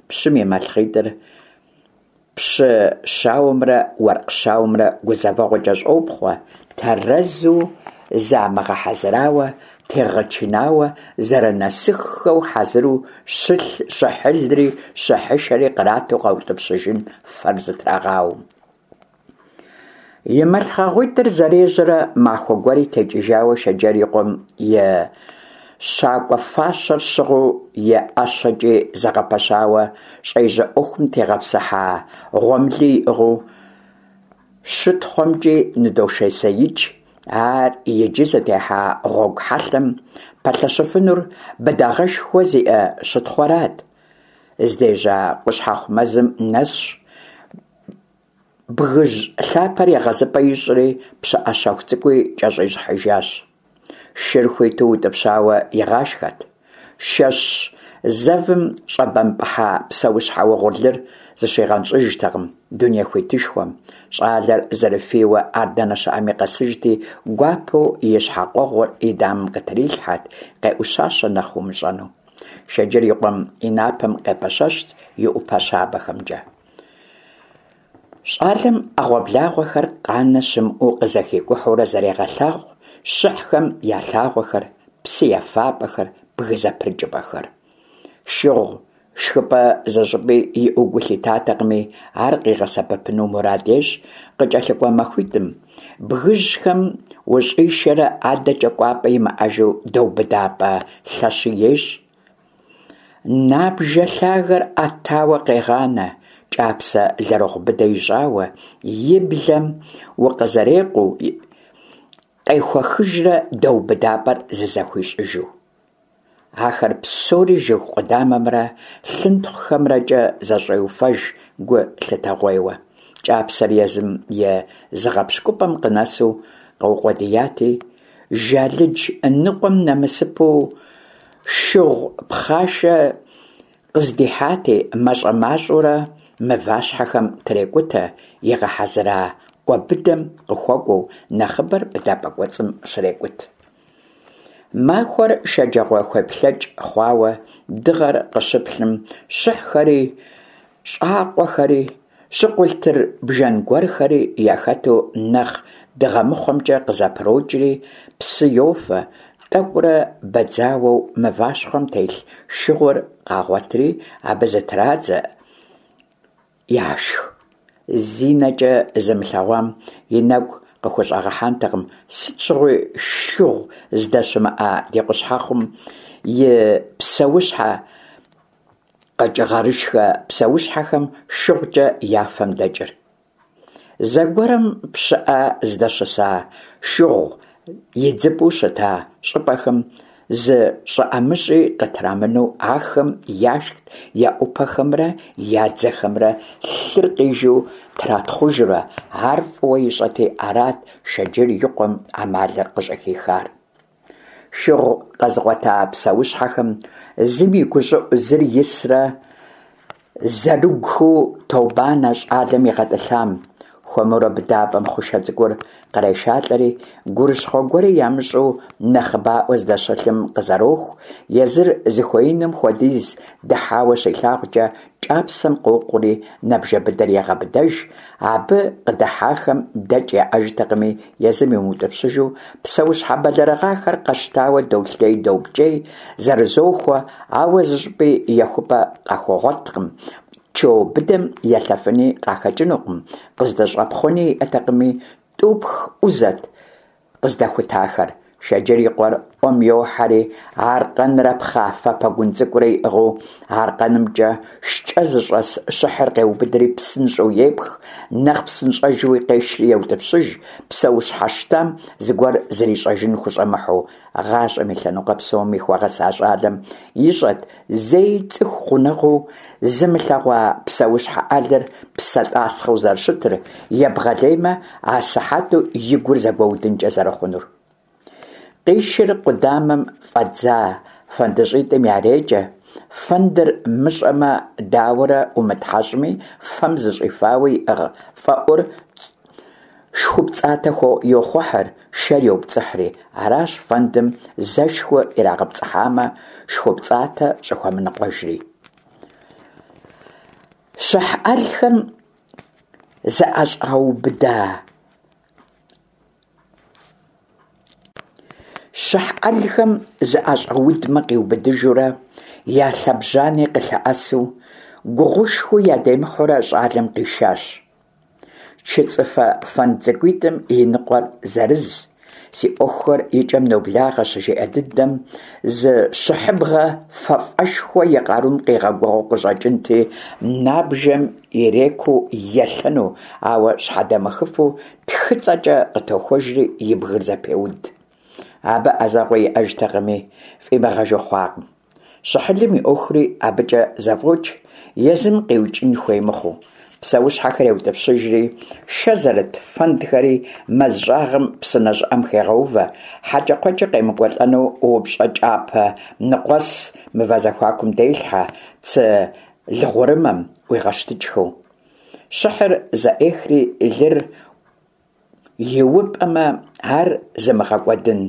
пщым и малъхъитӏыр Пщы щауэмрэ уэркъ щауэмрэ гузэвэгъуэкӏэ щӏопхъуэ, тэрэзу замыгъэхьэзырауэ, тегъэчынауэ, зэрынэсыххэу хьэзыру щылъ щыхьылри щыхьышэри кърату къаутӏыпщыжын фэр зытрагъауэм. И малъхъэгъуитӏыр зэрежьэрэ махуэ гуэри текӏыжауэ Шэджэр и къуэм и щакӏуэ фащэр щыгъыу и ӏэщэкӏи зэгъэпэщауэ щӏежьэ ӏуэхум тегъэпсыхьа гъуэмыли иӏыгъыу щытхъуэмкӏи ныдошэсеикӏ, ар иджы зытехьа гъуэгу хьэлъэм пэлъэщыфынур быдагъэшхуэ зиӏэ щытхъуэрат. Здежьа къущхьэхъу мэзым нэсщ. Бгыжь лъапэр егъэзыпӏэ ищӏри, пщыӏэ щэху цӏыкӏуи кӏэщӏищӏыхьыжащ. Шыр хуиту утӏыпщауэ игъашхэт. Шэщ зэвым щӏэбэмпӏыхьа псэущхьэ угъурлыр зыщигъэнщӏыжтэкъым дуней хуитышхуэм. Щӏалэр зэрыфийуэ ар дэнэ щыӏэми къэсыжти, гуапэу и щхьэкъуэгъур и дамэм къытрилъхьэт, къеӏущащэ нэхъ умыщӏэну. Шэджэр и къуэм и напэм къепэщэщт и ӏупэ щабэхэмкӏэ. Щӏалэм ӏэгъуэблагъуэхэр къанэ щымыӏэу къызэхикӏухьурэ зэрегъэлъагъу щыхьхэм я лъагъуэхэр, псы ефапӏэхэр, бгы зэпрыкӏыпӏэхэр. Шыгъу шхыпӏэ зыщӏыпӏи иӏэу гу лъитатэкъыми, ар къигъэсэбэпыну мурад ещӏ къыкӏэлъыкӏуэ махуитӏым, бгыжьхэм ущӏишэрэ адэкӏэ кӏуапӏэ имыӏэжу дэубыдапӏэ лъэщи ещӏ. Набжэ лъагэр ӏэтауэ къегъанэ, кӏапсэ лэрыгъу быдэ ищӏауэ, и блэм укъызэрекъуу, къехуэхыжрэ дэубыдапӏэр зызэхуищӏыжу. Ахэр псори жыг къудамэмрэ лъынтхъухэмрэкӏэ зэщӏеуфэж гу лъытэгъуейуэ. Кӏапсэр езым и зыгъэпщкӏупӏэм къынэсу къэукъуэдияти, Жалыдж ныкъуэм нэмысыпэу шыгъу пхъашэ къыздихьати, мащӏэ-мащӏэурэ мыващхьэхэм трекӏутэ, игъэхьэзыра ӏуэ быдэм къыхуэкӏуэу, нэхъыбэр быдапӏэ кӏуэцӏым щрекӏут. Махуэр шэджагъуэхуеплъэкӏ хъуауэ, дыгъэр къыщыплъым, щыхьхэри, щӏакъуэхэри, щыкъулътыр бжэн гуэрхэри яхэту нэхъ дыгъэмыхъуэмкӏэ къызэпрокӏри, псы йофэ, тӏэкӏурэ бэдзауэу мыващхъуэм телъ шыгъур къагъуэтри, абы зытрадзэ, яшх. Зи нэкӏэ зымылъэгъуам и нэгу къыхущӏэгъэхьэнтэкъым сыт щыгъуи шыгъу здэщымыӏэ ди къущхьэхъум и псэущхьэ Къэкӏыгъэрышхэ псэущхьэхэм шыгъукӏэ я фэм дэкӏыр. Зэгуэрым пщыӏэ здэщыса шыгъу идзыпӏэу щыта щӏыпӏэхэм зы щӏы ӏэмыщӏи къытрамынэу ахэм яшхт я ӏупэхэмрэ я дзэхэмрэ лъыр къижу тратхъужурэ, ар фӏыуэ ищӏэти арат Шэджыр и къуэм ӏэмалыр къыщӏыхихар. Шыгъу къэзыгъуэта псэущхьэхэм зым и гущӏыӏу зыр исрэ зэрыгухыу тобанэ щӏалэм игъэтӏылъам. Хуэмурэ быдапӏэм хъушэ цӏыкӏур кърешалӏэри, гурыщхъуэ гуэри ямыщӏу нэхъыбаӏуэ здэщылъым къызэроху, езыр зыхуеинум хуэдиз дыхьауэ щилъагъукӏэ, кӏапсэм къокъури набжэ быдэр егъэбыдэж, абы къыдыхьахэм дэкӏ яӏэжтэкъыми, езым имыутӏыпщыжу, псэущхьэ бэлэрыгъахэр къэщтауэ доплъей-допкӏей, зэрызохуэ, ауэ зыщӏыпӏи ехыпӏэ къахуэгъуэткъым, чо быдэм елъэфыни къахэкӏынукъым, къыздэщӏэпхъуэни иӏэтэкъыми, тӏупх ӏузэт къыздэхутахэр. Шэджыр и къуэр ӏуэм йохьэри, аркъэнрэ пхъафэ пэгун цӏыкӏурэ иӏыгъыу, аркъэнымкӏэ шкӏэ зыщӏэс щыхьыр къеубыдри псынщӏэу епх, нэхъ псынщӏэжуи къешри еутӏыпщыж, псэущхьэ щтам зыгуэр зэрищӏэжын хущӏэмыхьэу. Гъащӏэм и лъэныкъуэ псоми хуэгъэса щӏалэм ищӏэт зэи цӏыху гъунэгъуу зымылъэгъуа псэущхьэ ӏэлыр псэ тӏасхъэу зэрыщытыр, ебгъэлеймэ, асыхьэту и гур зэгуэудынкӏэ зэрыхъунур. Къишыр къудамэм фӏэдза фэндыщӏитӏым ярекӏэ, фэндыр мыщӏэмэ, дауэрэ умытхьэщӏми, фэм зыщӏифауэ иӏыгъ фӏэӏур шхупцӏатэ йохъухьыр, шэр йопцӏыхьри. Аращ фэндым зэ шху ирагъэпцӏыхьамэ, шхупцӏатэ щӏыхуэмыныкъуэжри. Щыхь ӏэлхэм зыӏэщӏаубыда Щыхь ӏэлхэм зыӏэщӏаудмэ къиубыдыжурэ, я лъэбжьани къылъэӏэсу, гугъушхуи ядемыхьурэ щӏалэм къишащ. Чыцӏыфэ фэнд цӏыкӏуитӏым и ныкъуэр зэрыз, си ӏуэхухэр и кӏэм ноблагъэ щыжиӏэ дыдэм, зы щыхьыбгъэ фафӏэшхуэ и къарум къигъэгугъэу къыщӏэкӏынти, набжэм ирекуу елъэну, ауэ щхьэдэмыхыфу тхыцӏэкӏэ къытохуэжри и бгыр зэпеуд. Абы ӏэзэгъуэ иӏэжтэкъыми, фӏимыгъэжу хъуакъым. Щыхьылым и ӏуэхури абыкӏэ зэфӏокӏ, езым къиукӏын хуей мыхъуу. Псэущхьэхэр еутӏыпщыжри, шэ зэрыт фэндхэри мэз щӏагъым псынэ щӏыӏэм хегъэувэ, хьэкӏэкхъуэкӏэ къемыкӏуэлӏэну упщӏэ кӏапэ ныкъуэс мывэ зэхуакум делъхьэ, цы лыгъурымэм ӏуигъэщтыкӏхэу. Щыхьыр зэӏехри, лыр иупӏэмэ, ар зымыгъэкӏуэдын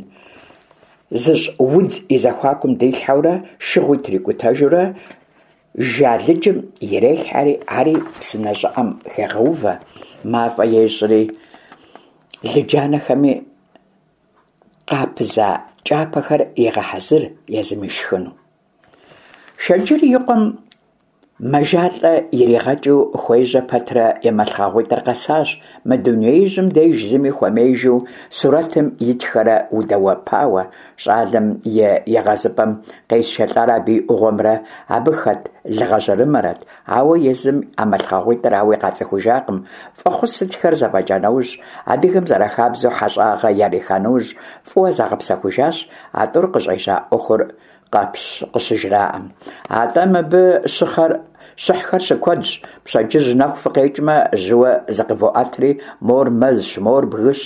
зыщӏ удз и зэхуакум дилъхьэурэ, шыгъуи трикӏутэжурэ, жалыджым ирелъхьэри, ари псынэ щӏыӏэм хегъэувэ, мафӏэ ещӏри, лыджанэхэми къапыза кӏапэхэр егъэхьэзыр езым ишхыну. Шэджыр и къуэм мэжалӏэ иригъэкӏыу хуежьэ пэтрэ и мэлъхъэгъуитӏыр къэсащ, мы дунеижьым деж зыми хуэмеижу сурэтым итхэрэ удэуэпауэ, щӏалэм и егъэзыпӏэм къезышэлӏар абы и ӏугъуэмрэ абы хэт лыгъэжьэрымэрэт, ауэ езым а мэлъхъэгъуитӏыр ауи къацӏыхужакъым. Фӏэхъус сытхэр зэфӏэкӏа нэужь, адыгэм зэрахабзэу хьэщӏагъэ яриха нэужь, фӏыуэ загъэпсэхужащ, а тӏур къыщӏежьа ӏуэхур къыщыжраӏэм. Атӏэ мыбы щыхъэр щыхьхэр щыкуэдщ, пщэдджыжь нэху фыкъекӏмэ, жьыуэ зыкъывоӏэтри, мор мэзщ, мор бгыщ.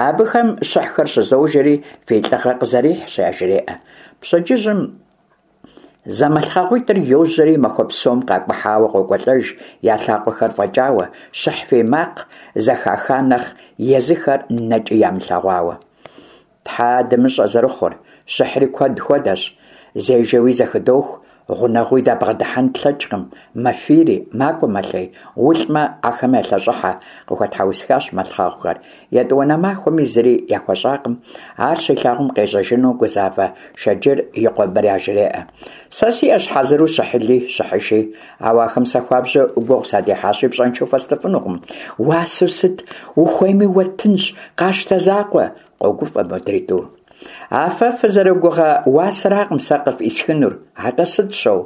Абыхэм щыхьхэр щызожэри, фи лӏыгъэ къызэрихьщ, яжреӏэ. Пщэдджыжьым зэмылъхъэгъуитӏыр йожьэри, махуэ псом къакӏухьауэ къокӏуэлӏэж, я лъакъуэхэр фӏэкӏауэ, щыхь фий макъ зэхаха нэхъ езыхэр нэкӏи ямылъэгъуауэ. Тхьэ дымыщӏэ зэрыхъур, щыхьри куэд хуэдэщ, зежэуи зэхыдох, гъунэгъууи дабгъэдыхьэн тлъэкӏкъым, мэфийри, макӏуэ-мэлъей, улӏмэ, ахэм ялъэщӏыхьэ, къыхуэтхьэусыхащ мэлъхъэгъухэр. Етӏуанэ махуэми зыри яхуэщӏакъым, ар щилъагъум къежьэжыну гузавэ Шэджыр и къуэм мыр яжреӏэ. Сэ сиӏэщ хьэзыру щыхьыли, щыхьыши, ауэ ахэм сэ хуабжьу гугъу садехьащи, пщӏэншэу фэстыфынукъым. Уасэу сыт ухуейми уэттынщ, къащтэ закъуэ, къогуфӏэ модрей тӏур. А фэ фызэрыгугъэ уасэракъым сэ къыфӏисхынур, атӏэ сыт щоу?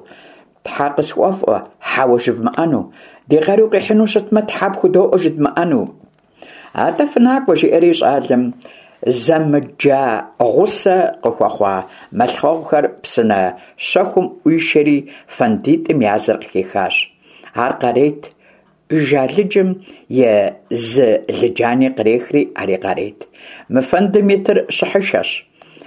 Тхьэ къысхуэфӏуэ, хьэуэ жывмыӏэну. Ди къару къихьыну щытмэ, тхьэ пхудоӏуэ жыдмыӏэну. Атӏэ фынакӏуэ, жиӏэри щӏалэм зэмыджа гъусэ къыхуэхъуа мэлъхъуэгъухэр псынэ щэхум ӏуишэри фэндитӏым я зыр къыхихащ. Ар къарейт, Жалыджым и зы лыджани кърехри, ари къарейт. Мы фэндым итыр щыхьышэщ.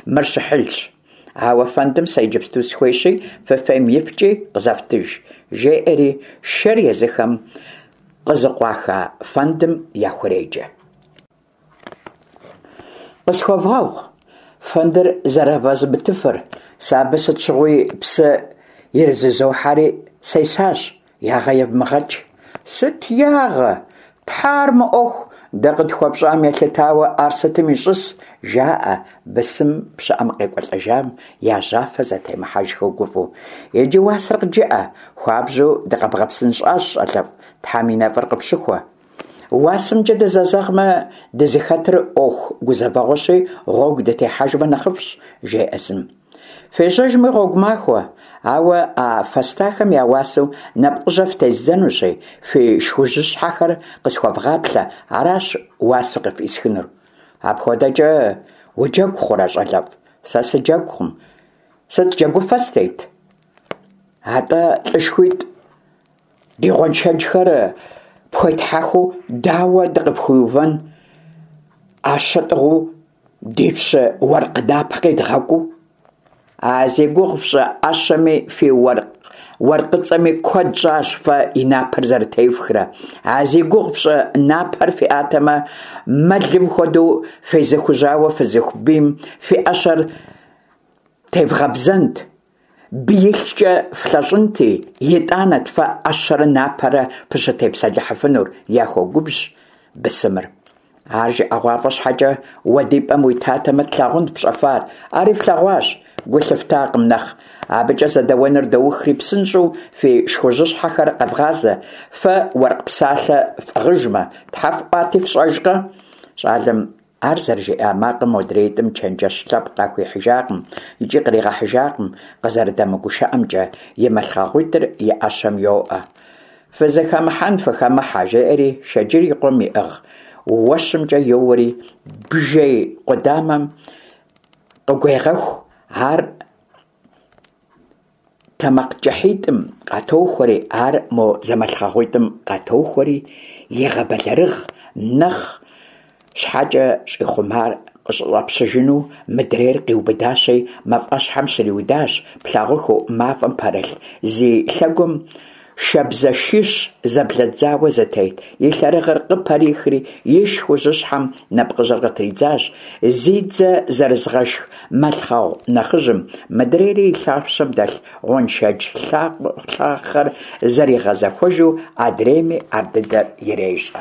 Мыр щыхьылщ. Ауэ фэндым сэ иджыпсту сыхуейщи, фыфейм ифкӏи къызэфтыж, жеӏэри шэр езыхэм къызыкъуаха фэндым яхуреджэ. Къысхуэвгъэгъу, фэндыр зэрывэзмытыфыр, сэ абы сыт щыгъуи псы ирызызохьэри сесащ, ягъэ евмыгъэкӏ. Сыт ягъэ? Тхьэ, ар мыӏуэху, дэ къытхуэпщӏам елъытауэ ар сытым ищӏыс, жаӏэ бысым пщыӏэм къекӏуэлӏэжам я жьафэ зэтемыхьэжхэу гуфӏэу. Иджы уасэр къыджыӏэ, хуабжьу дыкъэбгъэпсынщӏащ, щӏалэфӏ, Тхьэм и нэфӏыр къыпщыхуэ. Уасэмкӏэ дызэзэгъмэ, дызыхэтыр ӏуэху гузэвэгъуэщи, гъуэгу дытехьэжмэ нэхъыфӏщ, жеӏэ зым. Фежьэжми гъуэгу махуэ, ауэ а фэстахэм я уасэу нэпкъыжьэ фтездзэнущи, фи шхужьыщхьэхэр къысхуэвгъаплъэ, аращ уасэу къыфӏисхынур. Апхуэдэкӏэ уджэгу хъурэ, щӏалэфӏ? Сэ сыджэгукъым. Сыт джэгуфэ стет? Атӏэ лӏышхуитӏ Ди гъуэншэджхэр пхуетхьэхыу дауэ дыкъыпхуиувэн, ӏэщэ тӏыгъыу ди пщы уэркъ напэ къедгъэкӏуу? А зи гугъу фщӏы ӏэщэми фи уэркъыцӏэми куэд щӏащ фэ и напэр зэрытефхрэ. А зи гугъу фщӏы напэр фиӏатэмэ, мэлым хуэдэу фезыхужьауэ фызыху бийм фи ӏэщэр тевгъэбзэнт. Биилъкӏэ флъэщӏынти, итӏанэт фэ ӏэщэрэ напэрэ фыщытепсэлъыхьыфынур, яхуогубжь бысымыр. Ар жыӏэгъуафӏэ щхьэкӏэ, уэ ди пӏэм уитатэмэ, тлъагъунт пщӏэфар. Ари флъэгъуащ, гу лъыфтакъым нэхъ. Абыкӏэ зэдэуэныр доухри, псынщӏэу фи шхужьыщхьэхэр къэвгъазэ, фэ уэркъ псалъэ фӏыгъыжмэ, тхьэ фӏуати фщӏэжкъэ? Щӏалэм Ар зэрыжиӏа макъым модреитӏым чэнджэщ лъэпкъ къахуихьыжакъым икӏи къригъэхьыжакъым, къызэрыдэмыгушыӏэмкӏэ, и мэлъхъэгъуитӏыр и ӏэщэм йоӏэ. Фызыхэмыхьэн фыхэмыхьэ, жеӏэри Шэджыр и къуэм иӏыгъ уэщымкӏэ йоуэри бжей къудамэм къыгуегъэху, ар тэмакъкӏыхьитӏым къатохуэри, ар мо зэмылъхъэгъуитӏым къатохуэри, егъэбэлэрыгъ, нэхъ щхьэкӏэ щӏихъумар къыщӏэпщыжыну мыдрейр къиубыдащи, мафӏэщхьэм щриудащ, плъагъухыу мафӏэм пэрылъ зи лъэгум Шабзэшищ зэблэдзауэ зэтет и лъэрыгъыр къыпэрихри, и шхужьыщхьэм нэпкъыжьэр къытридзащ, зи дзэ зэрызыгъэшх мэлъхъэгъу нэхъыжьым, мыдрейри и лъапщэм дэлъ гъуэншэдж лъахъэр зэригъэзэхуэжу адрейми ардыдэр ирещӏэ.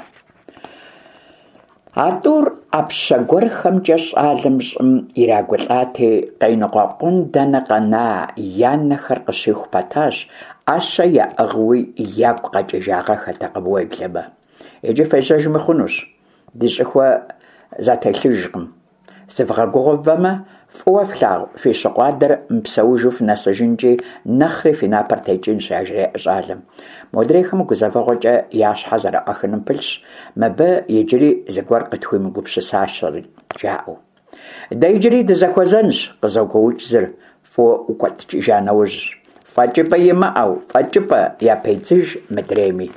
А тӏур ӏэпщэ гуэрхэмкӏэ щӏалэм щӏым ирагулӏати, къеныкъуэкъун дэнэ къэна, я нэхэр къыщиху пэтащ, ӏэщэ яӏыгъыуи ягу къэкӏыжагъэххэтэкъым уеблэмэ. Иджы фежьэжми хъунущ, ди щӏыхуэ зэтелъыжкъым. Зывгъэгугъэвэмэ, фӏыуэ флъагъу фи щыкъу адэр мыпсэужу фынэсыжынкӏи, нэхъри фи напэр текӏынщ, яжреӏэ щӏалэм. Модрейхэм гузэвэгъуэкӏэ я щхьэ зэрыӏуахыным пылъщ, мыбы иджыри зыгуэр къытхуимыгупсысащэрэт, жаӏэу. Дэ иджыри дызэхуэзэнщ, къызогуоукӏ зыр, фӏыуэ ӏукӏуэтыкӏыжа нэужь. Фӏэкӏыпӏэ имыӏэу, фӏэкӏыпӏэ, япедзыж мыдрейми.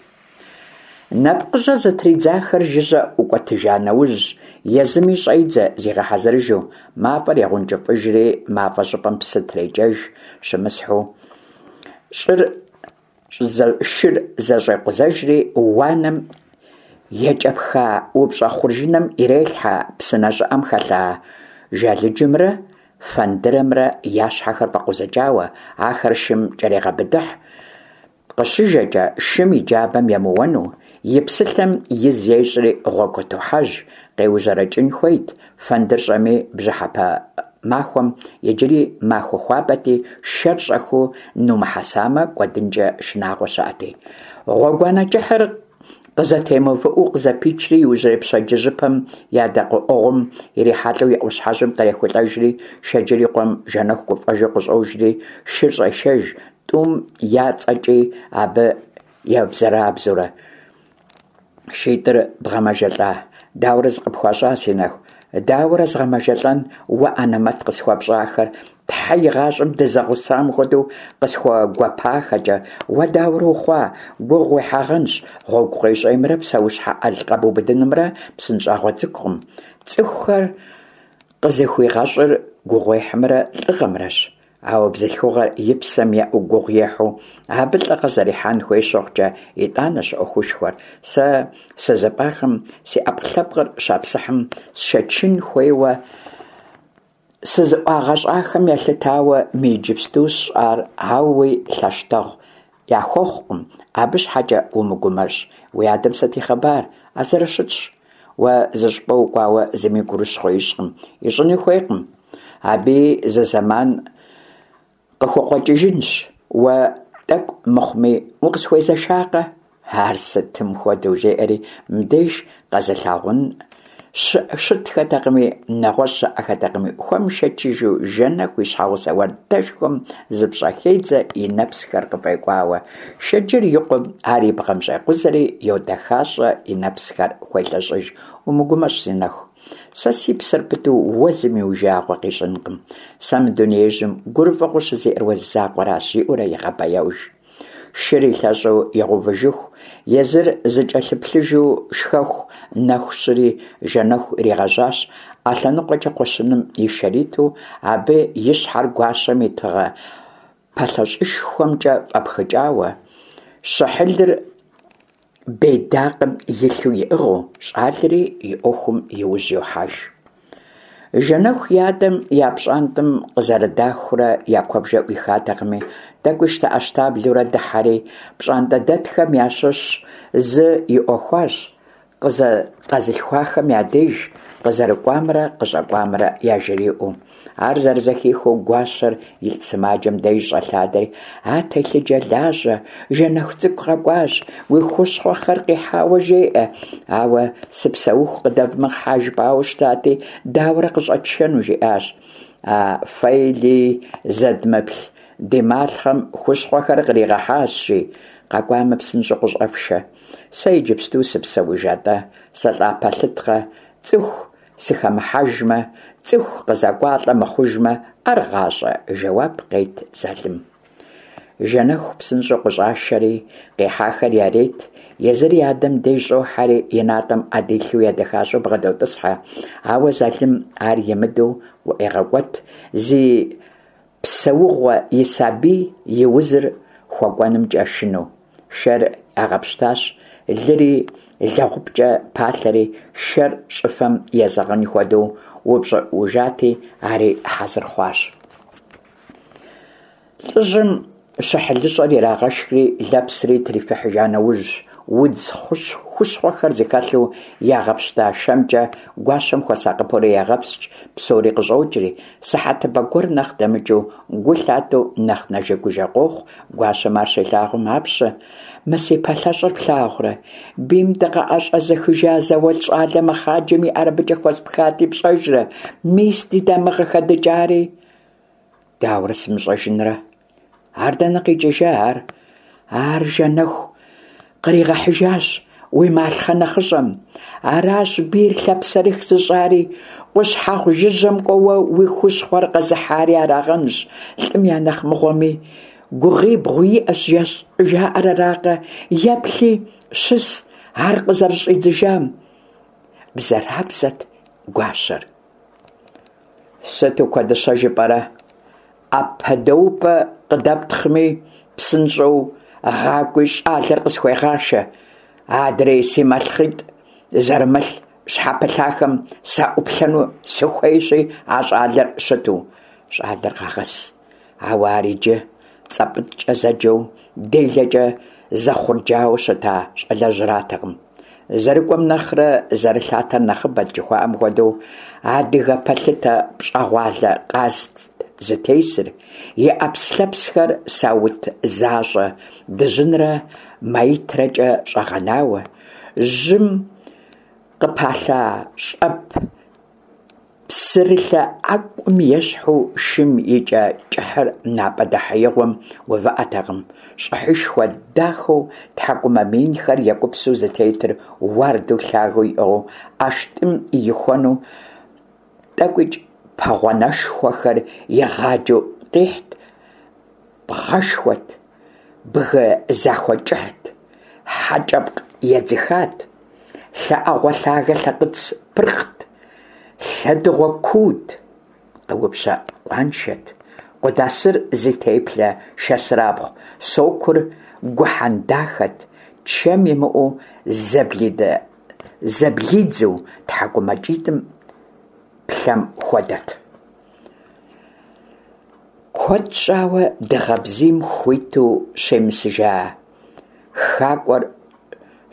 Нэпкъыжьэ зытридзахэр жыжьэ ӏукӏуэтыжа нэужь, езыми щӏедзэ зигъэхьэзырыжу, мафӏэр егъэункӏыфӏыжри, мафӏэ щӏыпӏэм псы трекӏэж, щымысхьу, щӏыр шыр зэщӏекъузэжри, уанэм екӏэпха упщӏэ хъуржыным ирелъхьэ псынэ щӏыӏэм хэлъа жалыджымрэ фэндырэмрэ я щхьэхэр фӏэкъузыкӏауэ, ахэр шым кӏэрегъэбыдыхь, Къыщыжэкӏэ, шым и джабэм емыуэну, и псылъэм из ещӏри гъуэгу къытохьэж, къеужьэрэкӏын хуейт, фэндыр щӏэми, бжьыхьэпэ махуэм иджыри махуэ хуабэти, шэр щӏэхыу нумыхьэсамэ, кӏуэдынкӏэ шынагъуэ щыӏэти. Гъуэгуанэ кӏыхьыр къызэтемыувыӏэу къызэпичри, иужьрей пщэдджыжьыпэм я дэкъыӏуэгъум ирихьэлӏэу и ӏуащхьэжьым кърехулӏэжри, Шэджыр и къуэм Жэнэху гуфӏэжу къыщӏожри, шыр щӏешэж, Тӏум я цӏэкӏи абы ебзэрабзэурэ. Шитӏыр бгъэмэжэлӏа? Дауэрэ зыкъыпхуащӏа, си нэху? Дауэрэ згъэмэжэлӏэн уэ анэмэт къысхуэпщӏахэр? Тхьэ игъащӏэм дызэгъусам хуэдэу къысхуэгуэпахэкӏэ. Уэ дауэрэ ухъуа? Гугъу уехьагъэнщ. Гъуэгу къуейщӏеймрэ псэущхьэ ӏэл къэбубыдынымрэ псынщӏагъуэ цӏыкӏукъым. Цӏыхухэр. къызыхуигъэщӏыр гугъуехьымрэ лӏыгъэмрэщ, ауэ бзылъхугъэр и псэм еӏэу гугъу ехьу, абы лӏыгъэ зэрихьэн хуей щыхъукӏэ, итӏанэщ ӏуэхушхуэр. Сэ сызыпӏахэм си ӏэпкълъэпкъыр щапсыхьым сшэчын хуейуэ сызыӏуагъэщӏахэм елъытауэ мы иджыпсту сщӏар ауи лъэщтэгъу яхуэхъукъым, абы щхьэкӏэ умыгумэщӏ. Уи адэм сыт и хъыбар? А зэрыщытщ. Уэ зыщӏыпӏэ укӏуауэ зыми гурыщхъуэ ищӏкъым, ищӏыни хуейкъым. Абыи зы зэман къыхукъуэкӏыжынщ. Уэ тӏэкӏу мыхъуми укъысхуезэшакъэ? Ар сытым хуэдэу, жеӏэри, мыбдеж къэзылъагъун щытхэтэкъыми, нэгъуэщӏ щыӏэхэтэкъыми, хуэмышэчыжу Жэнэху и щхьэгъусэ уардэшхуэм зыпщӏэхедзэ и нэпсхэр къыфӏекӏуауэ. Шэджыр и къуэм ар и бгъэм щӏекъузэри, йодэхащӏэ, и нэпсхэр хуелъэщӏыж. Умыгумэщӏ, си нэху. Сэ си псэр пыту уэ зыми уи жагъуэ къищӏынкъым. Сэ мы дунеижьым гурыфӏыгъуэу щызиӏэр уэ зы закъуэращ, жиӏэурэ егъэбэяуж. Шыр илъэщӏу игъэувыжыху, езыр зыкӏэлъыплъыжу шхэху нэху щыри Жэнэху иригъэжьащ, ӏэ лъэныкъуэкӏэ кхъуэщыным и шэр иту, абы и щхьэр гуащэм и тыгъэ пэлъэщӏышхуэмкӏэ фӏэпхыкӏауэ, щыхьылыр бедакъым илъу иӏыгъыу, щӏалэри и ӏуэхум и ужь йохьэж. Жэнэху и адэм я пщӏантӏэм къызэрыдахурэ я куэбжэ ӏуихатэкъыми, тӏэкӏуи щтэӏэщтаблэурэ дыхьэри, пщӏантӏэдэтхэм ящыщ зы иӏуэхуащ, къэзылъхуахэм я деж къызэрыкӏуамрэ къыщӏэкӏуамрэ яжриӏэу. Ар зэрызэхихыу гуащэр илӏ сымаджэм деж щӏэлъадэри, А телъыджэ лажьэ, Жэнэху цӏыкӏу къэкӏуащ, уи хущхъуэхэр къихьауэ жеӏэ, ауэ сыпсэуху къыдэвмыгъхьэ жыпӏауэ щытати, дауэрэ къыщӏэтшэну, жиӏащ. А фэи леи зэдмыплъ ди малъхъэм хущхъуэхэр къригъэхьащ, жи, къэкӏуамэ псынщӏэу къыщӏэфшэ. Сэ иджыпсту сыпсэуж атӏэ, сылӏа пэлъыткъэ, цӏыху сыхэмыхьэжмэ, цӏыху къызэкӏуалӏэ мыхъужмэ, ар гъащӏэ, жэуап къет Залым. Жэнэху псынщӏэу къыщӏашэри, къихьахэр ярет, езыр и адэм деж щӏохьэри, и натӏэм ӏэ дилъэу едэхащӏэу бгъэдотӏысхьэ, ауэ Залым ар имыдэу къыӏуегъэкӏуэт, зи псэугъуэ и сабий и узыр хуэкӏуэнымкӏэ шынэу. Шэр ягъэпщтащ, лыри лэгъупкӏэ палъэри, шэр щӏыфэм езэгъын хуэдэу упщӏыӏужати, ари хьэзыр хъуащ. Лӏыжьым щыхьылыщӏэр ирагъэшхри, лэпсри трифыхьыжа нэужь, удз хущхъуэхэр зыхэлъу ягъэпщта шэмкӏэ гуащэм хуэсакъыпэурэ егъэпскӏ, псори къыщӏокӏри, сыхьэтыбэ гуэр нэхъ дэмыкӏыу, гу лъатэу нэхъ нэжэгужэ къохъу, гуащэм ар щилъагъум, Апщэ, мы си пэлъэщӏыр плъагъурэ? Бийм дыкъыӏэщӏэзыхыжа зауэлӏ щӏалэ мэхъаджэм и ӏэр абыкӏэ хуэспхати, пщӏэжрэ? Мис ди дамыгъэ хэдыкӏари. Дауэрэ сымыщӏэжынрэ? Ар дэнэ къикӏыжа ар? Ар Жэнэху къригъэхьыжащ уи малъхъэ нэхъыщӏэм. Аращ бийр лъапсэрых зыщӏари, къущхьэхъу жыжьэм кӏуэуэ уи хущхъуэр къэзыхьари арагъэнщ, лӏым я нэхъ мыгъуэми. Гугъибгъу иӏэщ жаӏэр аракъэ, еплъи, щыс ар къызэрыщӏидзыжам. Бзэрабзэт гуащэр. Сыту куэдыщэ жыпӏэрэ? ӏэпэдэупӏэ къыдэптхъми, псынщӏэу гъакӏуи щӏалэр къысхуегъашэ. Адрей си малъхъитӏ зэрымылъ щхьэпылъахэм саӏуплъэну сыхуейщи, а щӏалэр щыту. Щӏалэр къагъэс. Ауэ ар иджы цӏэпӏытӏкӏэ зэджэу, делэкӏэ зэхъурджауэ щыта щӏалэжьратэкъым. Зэрыкӏуэм нэхърэ зэрылъатэр нэхъыбэт жыхуаӏэм хуэдэу, адыгэ пэлъытэ пщӏэгъуалэ къазт зытесыр, и ӏэпслъэпсхэр саут защӏэ дыжьынрэ маитрэкӏэ щӏэгъэнауэ, жьым къыпалъа щӏэп Псырылъэ ӏэкӏум ещхьу шым и кӏэ кӏыхьыр напӏэ дэхьеигъуэм увыӏэтэкъым. Щӏыхьышхуэ дахэу тхьэкӏумэ мыинхэр екӏупсу зытетыр уардэу лъагэу иӏыгъыу ӏэштӏым ихуэну тӏэкӏуикӏ пэгъуанэшхуэхэр игъаджэу къихьт, бгъэшхуэт, бгы захуэ кӏыхьт, хьэкӏэпкъ едзыхат, лъэӏэгъуэ лъагэ лъэкъыц пырхът. Лъэдыгъуэ куут, къыупщэ къуаншэт, къудасыр зи теплъэ шэсырабгъу сокур гухьэн дахэт, чэм имыӏэу зэблидзэу тхьэкӏумэкӏитӏым плъэм хуэдэт. Куэд щӏауэ дыгъэ бзийм хуиту щемысыжа хакӏуэр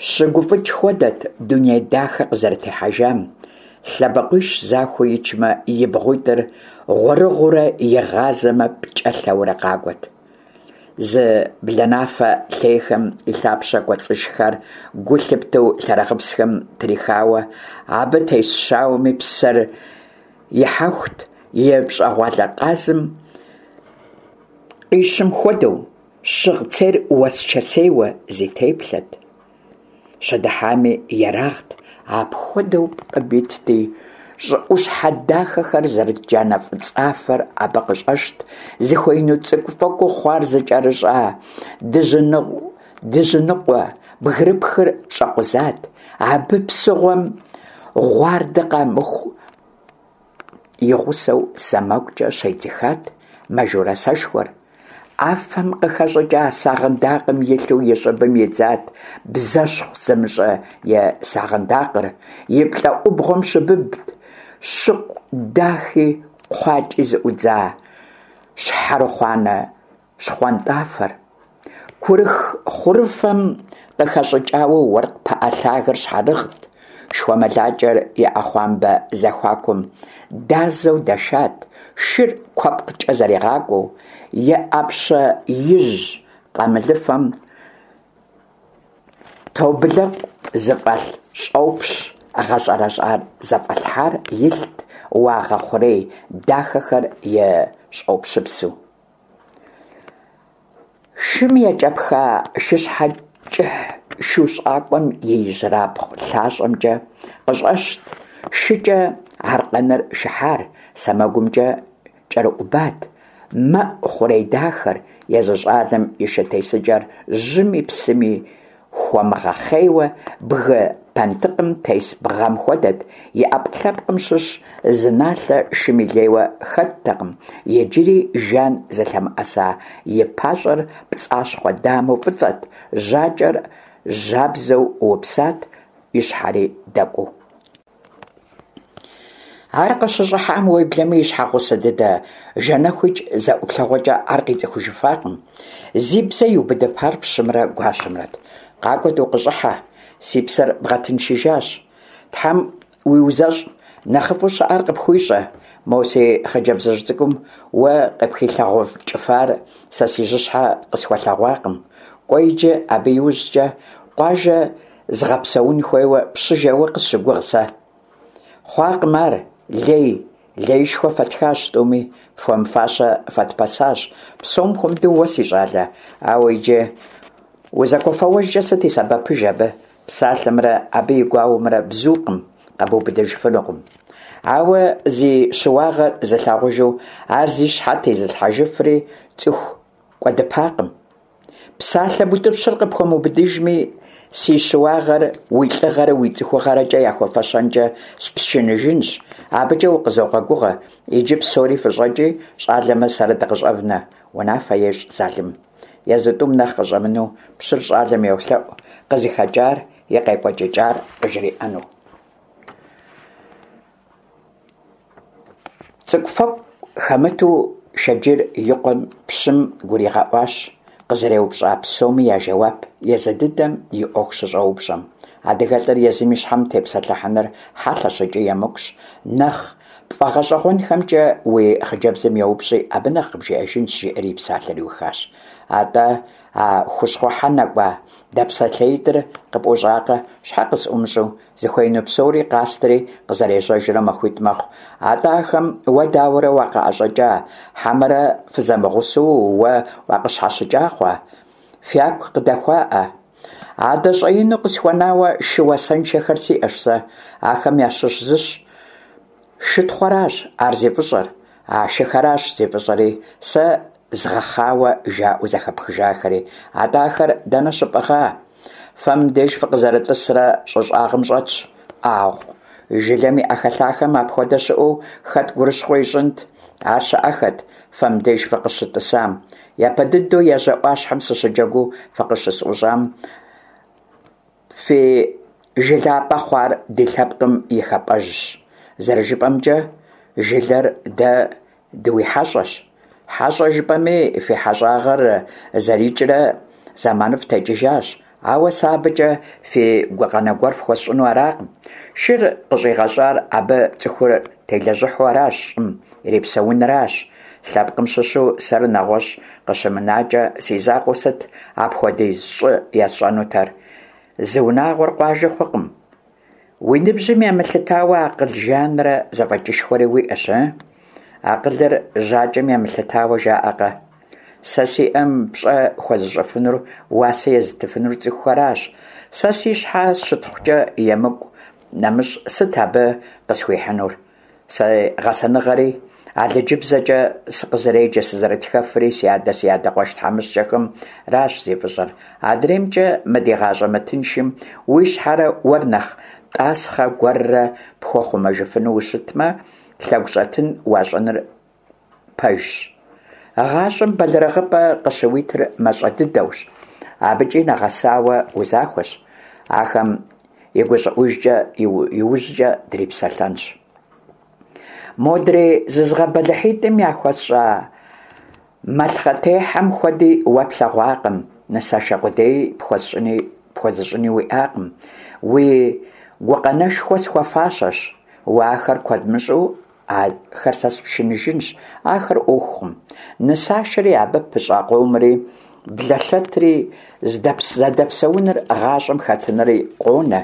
щыгуфӏыкӏ хуэдэт дуней дахэ къызэрытехьэжам, лъэбакъуищ захуэу ичмэ, и бгъуитӏыр гъуэрыгъуэурэ игъазэмэ, пкӏэлъэурэ къакӏуэт. Зы бланафэ лъейхэм и лъапщэ кӏуэцӏышхар гу лъыптэу лъэрыгъыпсхэм трихауэ, абы тес щауэми псэр ихьэхут, и пщӏэгъуалэ къазым къищым хуэдэу, щыгъ цейр уэсчэсейуэ зи теплъэт. Щыдыхьами ерагът, апхуэдэу пкъым итти, щӏыӏущхьэ дахэхэр зэрыт джанэ фӏыцӏафэр абы къыщӏэщт, зыхуеину цӏыкӏу-фэкӏуу хъуар зыкӏэрыщӏа дыжьыныкъуэ бгырыпхыр щӏэкъузат, абы псыгъуэм гъуардэ къамыху и гъусэу сэмэгукӏэ щедзыхат мажорэ сэшхуэр. Афэм къыхэщӏыкӏа сагъындакъым илъу и щӏыбым идзат бзэщхъу зымыщӏэ и сагъындакъыр, и плӏэӏубгъуэм щыбыбт щыкъу дахи кхъуакӏи зыӏудза щхьэрыхъуанэ щхъуантӏафэр. Курых хъурыфэм къыхэщӏыкӏауэ уэркъ пыӏэ лъагэр щхьэрыгът, шхуэмылакӏэр и ӏэхъуамбэ зэхуакум дазэу дэшат, шыр куэпкъкӏэ зэригъакӏуэу, и ӏэпщэ ижь къамылыфэм тобылэкъу зыфӏэлъ щӏопщ гъэщӏэрэщӏар зэфӏэлъхьар илът уагъэ хъурей дахэхэр и щӏопщыпсу. Шым екӏэпха шыщхьэ кӏыхь шу щӏакӏуэм и ижьырабгъу лъащӏэмкӏэ къыщӏэщт, шыкӏэ аркъэныр шыхьар сэмэгумкӏэ кӏэрыӏубат, мэӏу хъурей дахэр, езы щӏалэм и шы тесыкӏэр жьыми псыми хуэмыгъэхъейуэ бгы пэнтыкъым тес бгъэм хуэдэт, и ӏэпкълъэпкъым щыщ зы налъэ шым и лейуэ хэттэкъым, иджыри жан зылъэмыӏэса и пащӏэр пцӏащхъуэ дамэу фӏыцӏэт, жьакӏэр жьабзэу упсат, и щхьэри дэкӏуу. Ар къыщыщӏыхьам, уеблэмэ и щхьэгъусэ дыдэ Жэнэхуикӏ зэ ӏуплъэгъуэкӏэ ар къицӏыхужыфакъым. Зи бзэ иубыдыпар пщымрэ гуащэмрэт. Къакӏуэт укъыщӏыхьэ, си псэр бгъэтыншыжащ. Тхьэм уиузэщӏ, нэхъыфӏу щыӏэр къыпхуищӏэ. Мо си хъыджэбзыжь цӏыкӏум уэ къыпхилъэгъукӏыфар сэ си жьыщхьэ къысхуэлъэгъуакъым. Кӏуэ иджы абы иужькӏэ къуажэ згъэпсэун хуейуэ пщы жэуэ къысщыгугъ сэ. Хъуакъым ар, лей, леишхуэ фэтхащ тӏуми, фхуэмыфащэ фэтпэсащ, псом хуэмыдэу уэ, си щӏалэ, ауэ иджы узэгуэфэуэжкӏэ сыт и сэбэпыж абы, псалъэмрэ абы и гуауэмрэ бзукъым, къэбубыдыжыфынукъым. Ауэ зи щыуагъэр зылъагъужу ар зи щхьэ тезылъхьэжыфри цӏыху кӏуэдыпакъым. Псалъэ бутӏыпщыр къыпхуэмыубыдыжми, си щыуагъэр уи лӏыгъэрэ уи цӏыхугъэрэкӏэ яхуэфэщэнкӏэ спшыныжынщ, абыкӏэ укъызогъэгугъэ, иджы псори фыщӏэкӏи, щӏалэмрэ сэрэ дыкъыщӏэвнэ, унафэ ещӏ Залым. Езы тӏум нэхъ къыщӏэмынэу пщыр щӏалэм йолъэӏу къызыхэкӏар, и къекӏуэкӏыкӏар къыжриӏэну. Цӏыкӏуфэкӏу хэмыту Шэджыр и къуэм пщым гуригъэӏуащ къызэреупщӏа псоми я жэуап езы дыдэм и ӏуэху щыщӏэупщӏэм. Адыгэлӏыр езым и щхьэм тепсэлъыхьыныр хьэлъэщ икӏи емыкӏущ. Нэхъ пфӏэгъэщӏэгъуэнхэмкӏэ уи хъыджэбзым еупщӏи, абы нэхъ къыбжиӏэжынщ, жиӏэри и псалъэр иухащ. Атӏэ а хущхъуэхьэ нэкӏуа дэпсэлъеитӏыр къыпӏущӏакъэ, щхьэ къысӏумыщӏэу? Зыхуеину псори къастри къызэрежьэжрэ махуитӏ мэхъу. Атӏэ ахэм уэ дауэрэ уакъыӏэщӏэкӏа, хьэмэрэ фызэмыгъусэу уэ уакъыщхьэщыкӏа хъуа? Фяку къыдэхуаӏэ? Адэ щӏэину къысхуэнауэ шы уасэншэхэр сиӏэщ сэ. Ахэм ящыщ зыщ. Шытхъуэращ ар зи фӏыщӏэр. А шыхэращ зи фӏыщӏэри, сэ згъэхъауэ жаӏэу зэхэпхыжахэри. Атӏэ ахэр дэнэ щыпӏыгъа? Фэ мыбдеж фыкъызэрытӏысрэ щӏы щӏагъым щӏэтщ. ӏагъу. Жылэм и ӏэхэлъахэм апхуэдэ щыӏэу хэт гурыщхъуэ ищӏынт? Ар щыӏэххэт фэ мыбдеж фыкъыщытӏысам. Япэ дыдэу ежьэ ӏуащхьэм сыщыджэгуу фыкъыщысӏущӏам, фи жылапӏэ хъуар ди лъэпкъым и хапӏэжьщ. Зэрыжыпӏэмкӏэ, жылэр дэ дыуихьэщӏэщ. Хьэщӏэ жыпӏэми, фи хьэщӏагъэр зэрикӏрэ зэманыфӏ текӏыжащ. Ауэ сэ абыкӏэ фи гукъанэ гуэр фхуэсщӏыну аракъым. Шыр къыщӏигъэщӏар абы цӏыхур телэжьыхьу аращ, щӏым ирипсэунращ. Лъэпкъым щыщу сэр нэгъуэщӏ къыщымынакӏэ, си закъуэу сыт апхуэдиз щӏы есщӏэнутэр? Зы унагъуэр къуажэ хъукъым. Уи ныбжьым емылъытауэ акъыл жанрэ зэфӏэкӏышхуэри уиӏэщ, ы? Акъылыр жьакӏэм емылъытауэ жаӏэкъэ? Сэ сиӏэм пщӏэ хуэзыщӏыфынур, уасэ езытыфынур цӏыхухэращ. Сэ си щхьэ щытхъукӏэ емыкӏу нэмыщӏ сыт абы къысхуихьынур? Си гъэсэныгъэри, алыджыбзэкӏэ сыкъызэреджэ сызэрытхэфри си адэ си адэ къуэш тхьэмыщкӏэхэмращ зи фӏыщӏэр. Адреймкӏэ, мы ди гъащӏэ мытыншым уи щхьэрэ уэр нэхъ тӏасхъэ гуэррэ пхуэхъумэжыфыну ущытмэ, лъэгущӏэтын уащӏыныр пэжщ. Гъащӏэм бэлэрыгъыпӏэ къыщыуитыр мащӏэ дыдэущ. Абыкӏи нэгъэсауэ узахуэщ. Ахэм и гущӏыӏужкӏэ иужькӏэ дрипсэлъэнщ. Модрей зызгъэбэлыхьитӏым яхуэсщӏа малъхъэтехьэм хуэди уэ плъэгъуакъым, нысашэ къудей пхуэсщӏыни пхуэзыщӏыни уиӏакъым. Уи гукъанэшхуэ схуэфащэщ. Уэ ахэр куэд мыщӏэу Ахэр сэ спшыныжынщ, ахэр ӏуэхукъым. Нысашэри, абы пыщӏа къомри, блэлъэтри, зэдэпсэуныр, гъащӏэм хэтынри къонэ.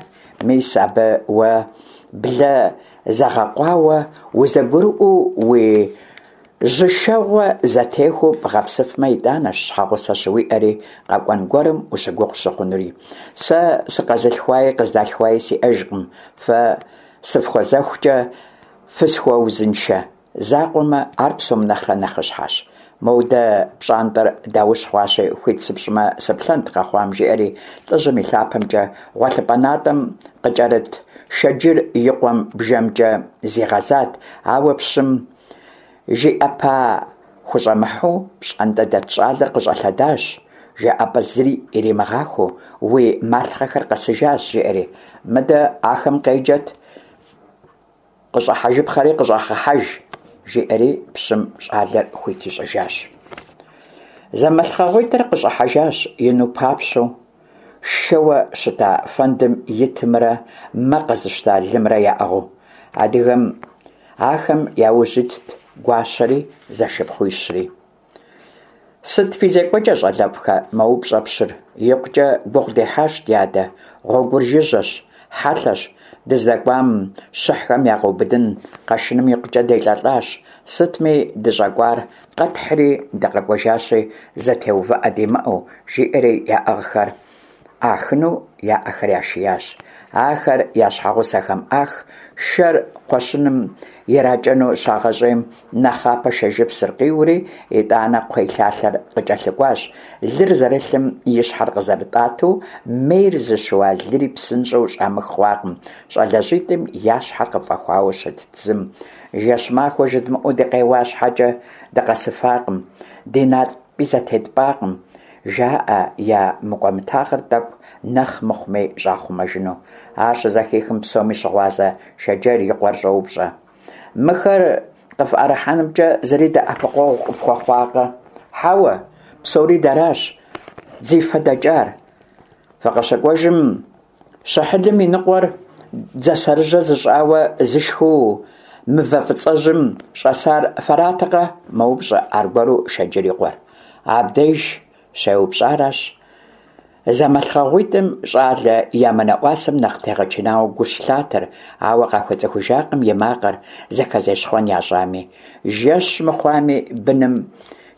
Мис абы уэ блэ зэгъэкъуауэ, узэгурыӏуэу уи жьышэгъуэ зэтехуэу бгъэпсыфмэ, итӏанэщ щхьэгъусэ щыуиӏэри, къэкӏуэн гуэрым ущыгугъ щыхъунури. Сэ сыкъэзылъхуаи къыздалъхуаи сиӏэжкъым, фэ сыфхуэзэхукӏэ Фысхуэузыншэ закъуэмэ, ар псом нэхърэ нэхъыщхьэщ. Модэ пщӏантӏэр даущ хъуащи, хуит сыпщӏмэ, сыплъэнт къэхъуам, жиӏэри лӏыжьым и лъапэмкӏэ гъуэлъыпӏэ натӏэм къыкӏэрыт Шэджыр и къуэм бжэмкӏэ зигъэзат, ауэ пщым жиӏэпа хущӏэмыхьу пщӏантӏэ дэт щӏалэр къыщӏэлъэдащ, жаӏэпӏэ зыри иримыгъахуэу, уи малъхъэхэр къэсыжащ, жиӏэри. Мыдэ ахэм къеджэт. Къыщӏыхьэжыпхъэри къыщӏэгъэхьэж, жиӏэри пщым щӏалэр хуит ищӏыжащ. Зэмалъхъэгъуитӏыр къыщӏыхьэжащ ину папщэу, шэуэ щыта фэндым итымрэ мэ къэзыщта лымрэ яӏыгъыу. Адыгэм ахэм я ужь итт гуащэри зэшыпхъуищри. Сыт фи зекӏуэкӏэ, щӏалэфӏхэ? мэупщӏэ пщыр. Икъукӏэ гугъу дехьащ, дядэ. Гъуэгур жыжьэщ, хьэлъэщ. Дыздэкӏуам щыхьхэм я къэубыдын къэшыным икъукӏэ делӏэлӏащ. Сытми, дыщӏэкӏуар къэтхьри дыкъэкӏуэжащи, зэтеувыӏэ димыӏэу, жиӏэри яӏыгъхэр ӏахыну я ӏэхэр яшиящ. Ахэр я щхьэгъусэхэм ӏах, шэр кхъуэщыным иракӏэну щагъэщӏейм, нэхъапэ шэжыпсыр къиури, итӏанэ кхъуейлъалъэр къыкӏэлъыкӏуащ. Лыр зэрылъым и щхьэр къызэрытӏатэу, мейр зыщыуа лыри псынщӏэу щӏамых хъуакъым, щӏалэщӏитӏым я щхьэр къыфӏэхуауэ щытт зым. Жэщ-махуэ жыдмыӏэу дыкъеуа щхьэкӏэ дыкъэсыфакъым, ди натӏи зэтетпӏакъым. Жаӏэ я мыкӏуэмытагъэр тӏэкӏу нэхъ мыхъуми щӏахъумэжыну. Ар щызэхихым псоми щыгъуазэ Шэджэр и къуэр щӏоупщӏэ. Мыхэр къыфӏэрыхьэнымкӏэ зыри дэӏэпыкъуэгъу къыфхуэхъуакъэ? Хьэуэ, псори дэращ зи фэ дэкӏар. Фыкъыщыкӏуэжым щыхьылым и ныкъуэр дзасэрыжьэ зыщӏауэ зышхыу мывэ фӏыцӏэжьым щӏэсар фэратэкъэ? мэупщӏэ аргуэру Шэджэр и къуэр. Абдеж щеупщӏаращ зэмалъхъэгъуитӏым щӏалэ ямынэӏуасэм нэхъ тегъэчынауэ гу щылъатэр, ауэ къахуэцӏыхужакъым и макъыр зэхэзещхъуэн ящӏами. Жэщ мыхъуами, быным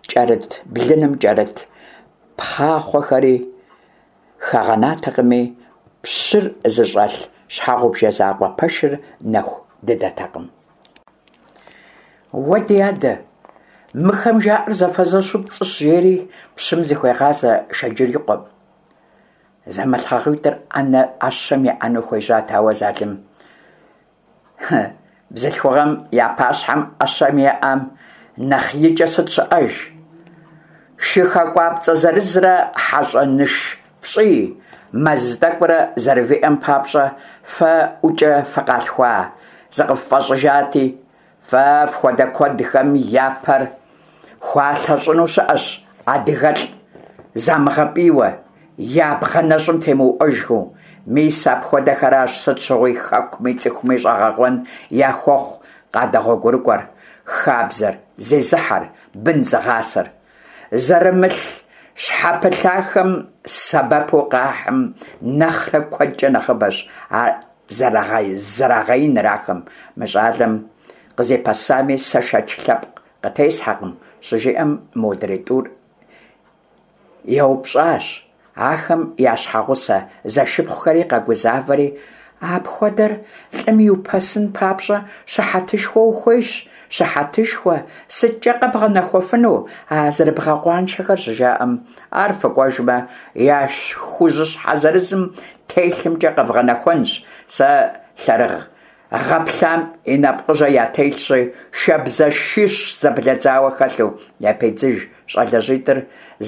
кӏэрыт, блыным кӏэрыт пхъахъуэхэри хагъэнатэкъыми, пщыр зыщӏэлъ щхьэгъубжэ закъуэ пэшыр нэху дыдэтэкъым. Уэ, ди адэ, мыхэм жаӏэр зэфэзэщу пцӏыщ, жери пщым зыхуегъазэ Шэджыр и къуэм. Зэмалъхъэгъуитӏыр ӏэнэ ӏэщэм еӏэну хуежьат, ауэ Залым. Бзылъхугъэм я пащхьэм ӏэщэм еӏэм нэхъ икӏэ сыт щыӏэж? Шы хакӏуапцӏэ зырызрэ хьэщӏэ ныш пщӏий мэз тӏэкӏурэ зэрывиӏэм папщӏэ фэ ӏукӏэ фыкъалъхуа зыкъыффӏэщӏыжати, фэ фхуэдэ куэдхэм я пэр хуалъэщӏыну щыӏэщ адыгэлӏ замыгъэпӏийуэ, я бгъэ нэщӏым темыуӏуэжхэу. Мис апхуэдэхэращ сыт щыгъуи хэкуми цӏыхуми щӏэгъэкъуэн яхуэхъу къадэгъуэгурыкӏуэр, хабзэр зезыхьэр, бын зыгъасэр. Зэрымылъ щхьэпылъахэм сэбэпу къахьым нэхърэ куэдкӏэ нэхъыбэщ а зэрагъэиныр ахэм. Мы щӏалэм къызепэсами сэ шэч лъэпкъ къытесхьэкъым, щыжиӏэм, модрей тӏур еупщӏащ. Ахэм я щхьэгъусэ зэшыпхъухэри къэгузавэри, Апхуэдэр лӏым иупэсын папщӏэ щыхьэтышхуэ ухуейщ, щыхьэтышхуэ, сыткӏэ къэбгъэнэхуэфыну а зэрыбгъэкъуаншэхэр щыжаӏэм, ар фыкӏуэжмэ, я шхужьыщхьэ зырызым телъымкӏэ къэвгъэнэхуэнщ, сэ лъэрыгъ гъэплъам и нэпкъыжьэ ятелъщи, шабзэшищ зэблэдзауэ хэлъу, япедзыж щӏалэжьитӏыр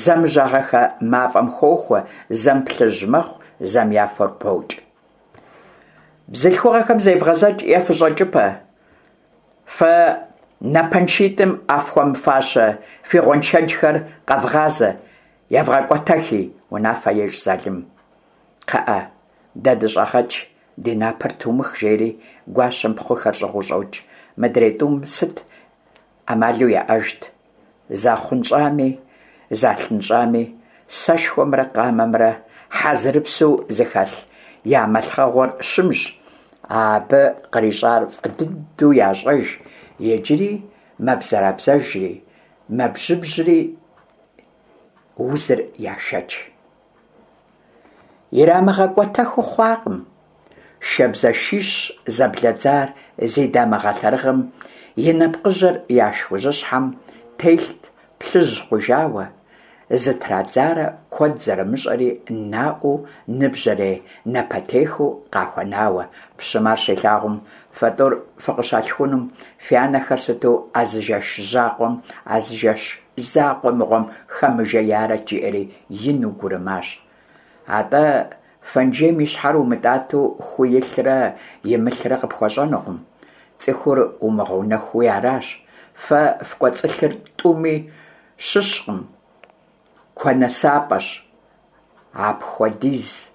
зэмыжьагъэхэ мафӏэм хохуэ, зэм плъыжь мэхъу, зэм я фэр покӏ. Бзылъхугъэхэм зевгъэзэкӏ е фыщӏэкӏыпэ. Фэ напэншитӏым а фхуэмыфащэ фи гъуэншэджхэр къэвгъазэ, евгъэкӏуэтэхи, унафэ ещӏ Залым. Кхъыӏэ, дэ дыщӏэгъэкӏ, ди напэр тумых, жери гуащэм пхъухэр щӏыгъуу щӏокӏ. Мыдрей тӏум сыт ӏэмалу яӏэжт? Захъунщӏами, залъынщӏами, сэшхуэмрэ къамэмрэ хьэзырыпсу зыхэлъ я мэлъхъэгъуэр щымщ, абы кърищӏар фӏы дыдэу ящӏэж, иджыри мэбзэрабзэжри, мэбжьыбжьри узыр яшэч. Ирамыгъэкӏуэтэхыу хъуакъым. Шабзэшищ зэблэдзар зи дамыгъэ лъэрыгъым и нэпкъыжьэр я шхужьыщхьэм телът плъыжь хъужауэ, зытрадзарэ куэд зэрымыщӏэри наӏуэу ныбжьэрей напэтехыу къахуэнауэ. Пщым ар щилъагъум, фэ тӏур фыкъыщалъхунум, фи анэхэр сыту а зы жэщ закъуэм, а зы жэщ закъуэ мыгъуэм хэмыжеярэт, жиӏэри ину гурымащ. Атӏэ, фэнжейм и щхьэр умытӏатэу ху илърэ имылърэ къыпхуэщӏэнукъым. Цӏыхур умыгъэунэхууи аращ. Фэ фкӏуэцӏылъыр тӏуми щыщкъым, куэнэсапӏэщ. Апхуэдиз.